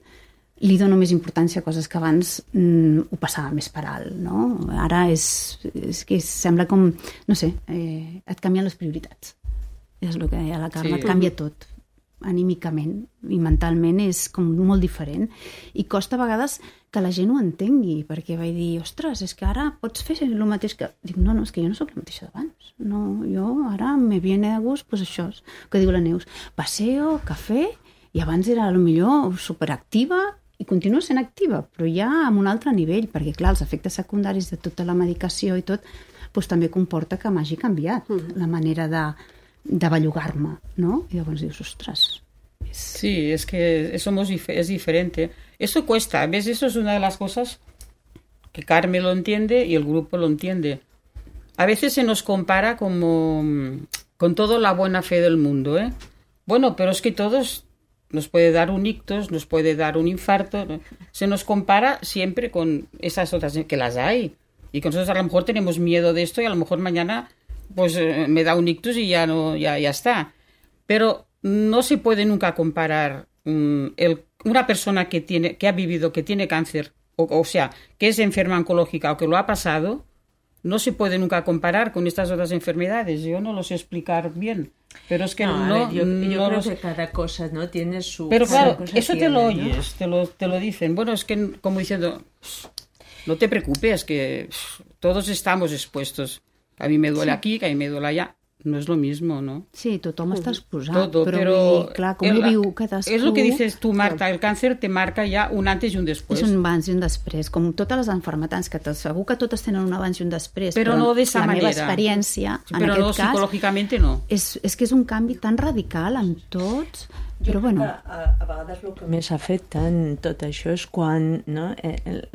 Li dono més importància a coses que abans ho passava més per alt, no? Ara és que sembla com, no sé, et canvien les prioritats. És el que deia la Carme, et canvia tot. Anímicament i mentalment és com molt diferent i costa a vegades que la gent ho entengui, perquè vaig dir, ostres, és que ara pots fer el mateix que... Dic, no, és que jo no sóc la mateixa d'abans. No, jo ara me viene de gust, pues això és que diu la Neus, paseo, cafè, i abans era potser superactiva i continua sent activa, però ja amb un altre nivell, perquè clar, els efectes secundaris de tota la medicació i tot, doncs també comporta que m'hagi canviat la manera de bellugar-me, ¿no? Y llavors dius, ostras. Sí, es que es diferente. Eso cuesta. ¿Ves? Eso es una de las cosas que Carmen lo entiende y el grupo lo entiende. A veces se nos compara como con toda la buena fe del mundo, ¿eh? Bueno, pero es que todos nos puede dar un ictus, nos puede dar un infarto. ¿No? Se nos compara siempre con esas otras que las hay. Y que nosotros a lo mejor tenemos miedo de esto y a lo mejor mañana pues me da un ictus y ya está. Pero no se puede nunca comparar una persona que ha vivido, que tiene cáncer, o sea, que es enferma oncológica o que lo ha pasado, no se puede nunca comparar con estas otras enfermedades. Yo no lo sé explicar bien, pero es que yo creo que cada cosa no tiene su... Pero claro, eso te lo oyes, ¿no? te lo dicen. Bueno, es que como diciendo, no te preocupes, que todos estamos expuestos. A mí me duele aquí, que a mí me duele allá. No es lo mismo, ¿no? Sí, tothom està exposat, pero clar, com ho viu cadascú... Es lo que dices tú, Marta, el cáncer te marca ya un antes y un después. És un abans i un després, com totes les malalties, que segur que totes tenen un abans i un després, però no de esa manera. La meva experiència, en però aquest no, cas... psicològicament no. És que és un canvi tan radical en tots... Però bueno... A vegades el que més afecta en tot això és quan, no?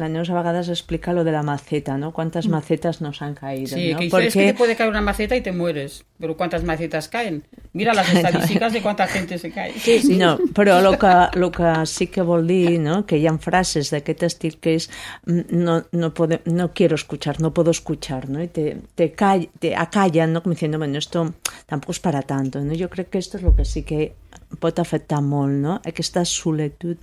La Neus a vegades explica lo de la maceta, ¿no? Cuántas macetas nos han caído, sí, ¿no? Que dice, es que te puede caer una maceta y te mueres, pero ¿cuántas macetas caen? Mira las estadísticas de cuánta gente se cae. Sí. No, però lo que sí que vol dir, ¿no? Que hi ha frases d'aquest estil que és no quiero escuchar, no puedo escuchar, ¿no? Y te acallan, ¿no? Como diciendo, bueno, esto tampoco es para tanto, ¿no? Yo creo que esto es lo que sí que pot afectar molt, no? Aquesta solitud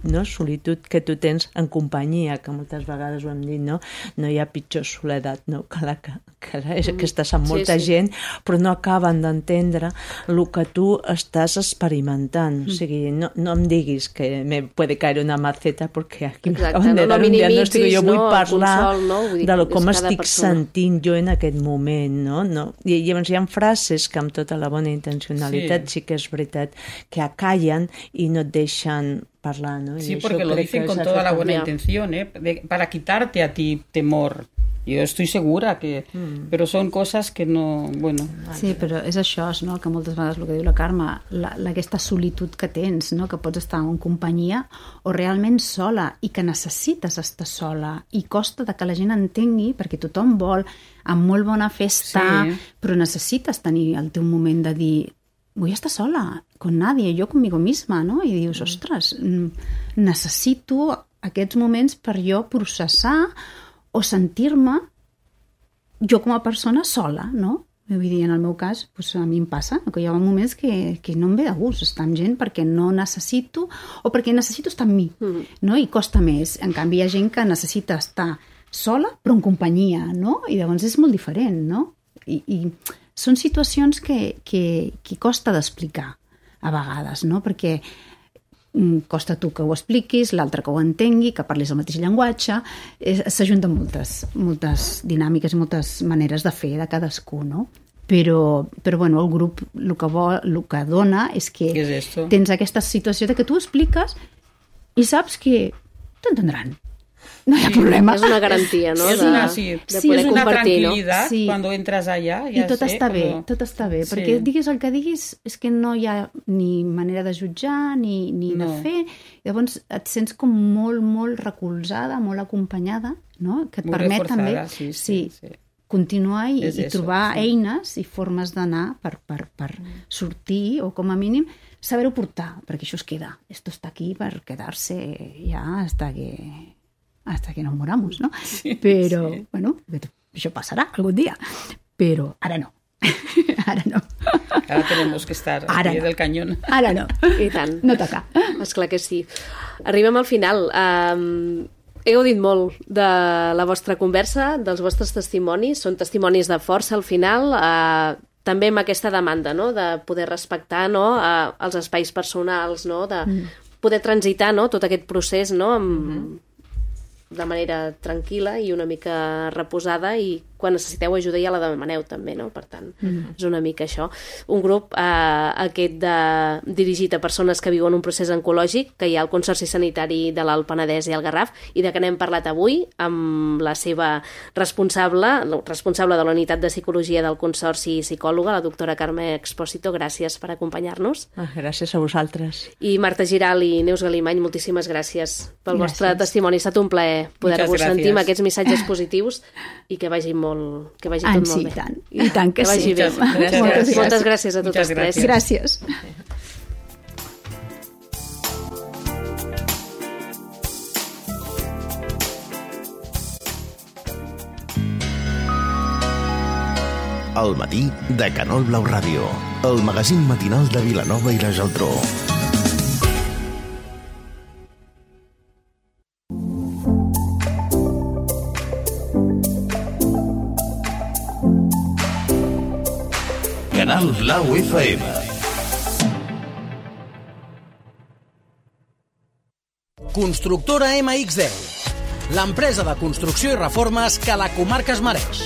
que tu tens en companyia, que moltes vegades ho hem dit, no? No hi ha pitjor soledat, no? Que estàs amb molta gent, però no acaben d'entendre el que tu estàs experimentant. O sigui, no em diguis que me puede caer una maceta perquè aquí m'acaben de dar un diagnòstic. Jo vull parlar de com estic sentint jo en aquest moment, no? I llavors hi ha frases que amb tota la bona intencionalitat sí que és veritat que acallan y no dejan hablar, ¿no? Sí, porque lo dicen con toda la buena intención, para quitarte a ti temor. Jo estic segura que... Però són coses que no... Bueno. Sí, però és això, no? Que moltes vegades el que diu la Carme, aquesta solitud que tens, no? Que pots estar en companyia o realment sola i que necessites estar sola i costa de que la gent entengui perquè tothom vol amb molt bona festa, però necessites tenir el teu moment de dir vull estar sola, con nadie, yo conmigo misma, no? I dius, ostres, necessito aquests moments per jo processar o sentir-me jo com a persona sola, no? Vull dir, en el meu cas, doncs a mi em passa que hi ha moments que no em ve de gust estar amb gent perquè no necessito o perquè necessito estar amb mi, no? I costa més. En canvi, hi ha gent que necessita estar sola però en companyia, no? I llavors és molt diferent, no? I són situacions que costa d'explicar a vegades, no? Perquè costa tu que ho expliquis, l'altre que ho entengui, que parlis el mateix llenguatge, s'ajunten moltes dinàmiques i moltes maneres de fer de cadascú, no? Però bueno, el grup el que dona és que tens aquesta situació de que tu expliques i saps que t'entendran. No hi ha problema. És una garantia, no? És una tranquil·litat quan entres allà. I tot està bé, perquè diguis el que diguis és que no hi ha ni manera de jutjar ni de fer. Llavors et sents com molt, molt recolzada, molt acompanyada, no? Que et permet també continuar i trobar eines i formes d'anar per sortir o com a mínim saber-ho portar, perquè això es queda. Esto està aquí per quedar-se ja hasta que nos moramos, ¿no? Pero, bueno, això passarà algun dia, però ara no. Ara no. Ara tenemos que estar al pie del cañón. Ara no. I tant. No toca. Esclar que sí. Arribem al final. He gaudit molt de la vostra conversa, dels vostres testimonis. Són testimonis de força al final, també amb aquesta demanda, no?, de poder respectar, no?, els espais personals, no?, de poder transitar, no?, tot aquest procés, no?, de manera tranquil·la i una mica reposada, i quan necessiteu ajuda ja la demaneu també, no? Per tant, és una mica això. Un grup aquest dirigit a persones que viuen un procés oncològic, que hi ha el Consorci Sanitari de l'Alt Penedès i el Garraf, i de que n'hem parlat avui amb la seva responsable de la unitat de psicologia del Consorci i psicòloga, la doctora Carme Expósito. Gràcies per acompanyar-nos. Gràcies a vosaltres. I Marta Giral i Neus Galimany, moltíssimes gràcies pel vostre testimoni. Ha estat un plaer poder-vos sentir amb aquests missatges positius i que vagi tot molt bé. I tant que sí. Moltes gràcies a totes tres. Gràcies. El matí de Canal Blau Ràdio, el magazín matinal de Vilanova i la Geltrú. Canal Blau FM. Constructora MX10, l'empresa de construcció i reformes que la comarca es mereix.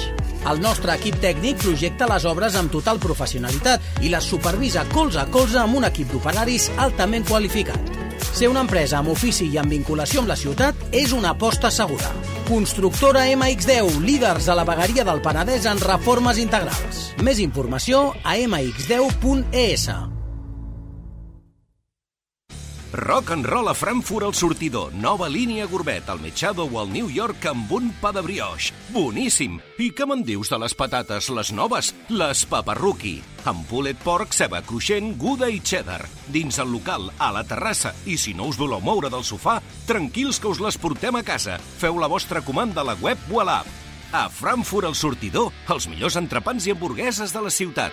El nostre equip tècnic projecta les obres amb total professionalitat i les supervisa colze a colze amb un equip d'operaris altament qualificat. Ser una empresa amb ofici i amb vinculació amb la ciutat és una aposta segura. Constructora MX10, líders a la vegueria del Penedès en reformes integrals. Més informació a mx10.es. Rock and roll a Frankfurt al sortidor. Nova línia gourmet, al Machado o al New York amb un pa de brioix. Boníssim! I què me'n dius de les patates, les noves? Les Paparruki. Amb pulled pork, ceba cruixent, Gouda i cheddar. Dins el local, a la terrassa. I si no us voleu moure del sofà, tranquils que us les portem a casa. Feu la vostra comanda a la web o a l'app. A Frankfurt al sortidor, els millors entrepans i hamburgueses de la ciutat.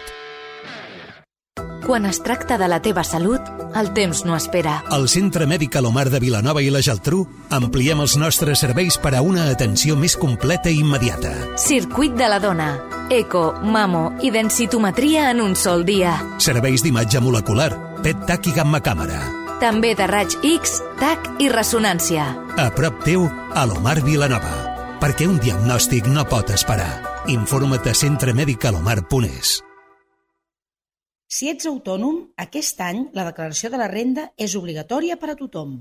Quan es tracta de la teva salut, el temps no espera. Al Centre Mèdic Alomar de Vilanova i la Geltrú ampliem els nostres serveis per a una atenció més completa i immediata. Circuit de la dona. Eco, mamo i densitometria en un sol dia. Serveis d'imatge molecular, PET, TAC i gamma càmera. També de raig X, TAC i ressonància. A prop teu, Alomar Vilanova. Perquè un diagnòstic no pot esperar. Informa't a centremedicalomar.es. Si ets autònom, aquest any la declaració de la renda és obligatòria per a tothom.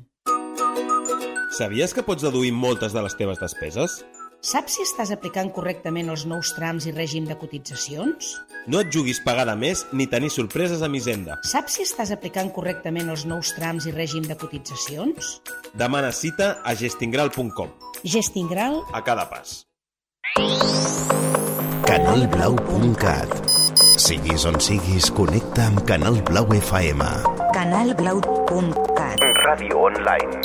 Sabies que pots deduir moltes de les teves despeses? Saps si estàs aplicant correctament els nous trams i règim de cotitzacions? No et juguis pagar de més ni tenir sorpreses amb Hisenda. Saps si estàs aplicant correctament els nous trams i règim de cotitzacions? Demana cita a gestingral.com. Gestingral a cada pas. Canalblau.cat. Siguis on siguis, connecta amb Canal Blau FM. Canalblau.cat. Ràdio online.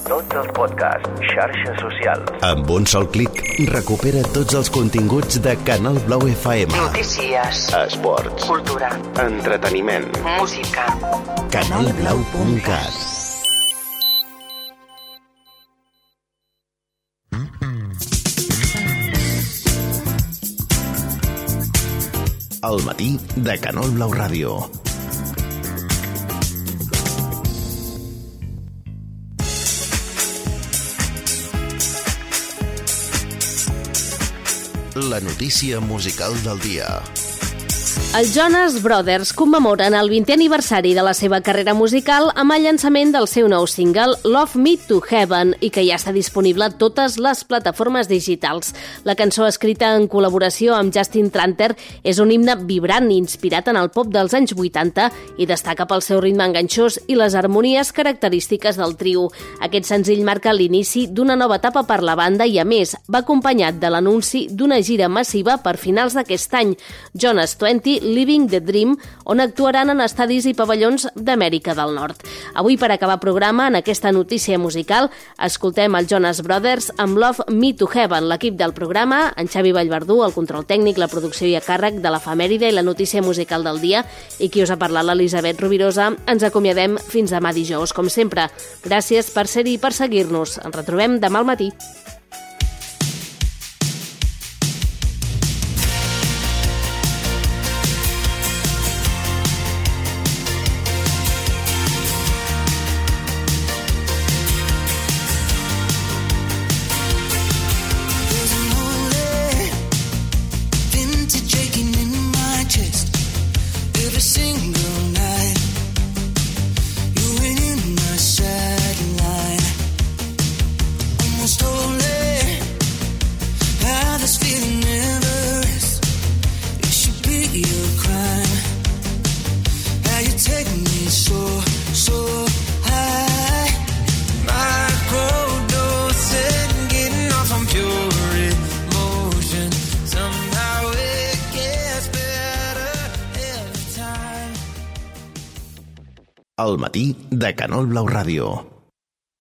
Tots els podcasts, xarxes socials. Amb un sol clic, recupera tots els continguts de Canal Blau FM. Notícies. Esports. Cultura. Entreteniment. Música. Canalblau.cat. Al matí de Canal Blau Ràdio. La notícia musical del dia. Els Jonas Brothers commemoren el 20è aniversari de la seva carrera musical amb el llançament del seu nou single Love Me to Heaven i que ja està disponible a totes les plataformes digitals. La cançó, escrita en col·laboració amb Justin Tranter, és un himne vibrant inspirat en el pop dels anys 80 i destaca pel seu ritme enganxós i les harmonies característiques del trio. Aquest senzill marca l'inici d'una nova etapa per la banda i, a més, va acompanyat de l'anunci d'una gira massiva per finals d'aquest any, Jonas 20 Living the Dream, on actuaran en estadis i pavellons d'Amèrica del Nord. Avui, per acabar programa, en aquesta notícia musical, escoltem els Jonas Brothers amb Love Me to Heaven. L'equip del programa, en Xavi Vallverdú, el control tècnic, la producció i a càrrec de l'efemèride i la notícia musical del dia, i qui us ha parlat, l'Elisabet Rovirosa. Ens acomiadem fins demà dijous, com sempre. Gràcies per ser-hi i per seguir-nos. Ens retrobem demà al matí. Al matí de Canal Blau Ràdio.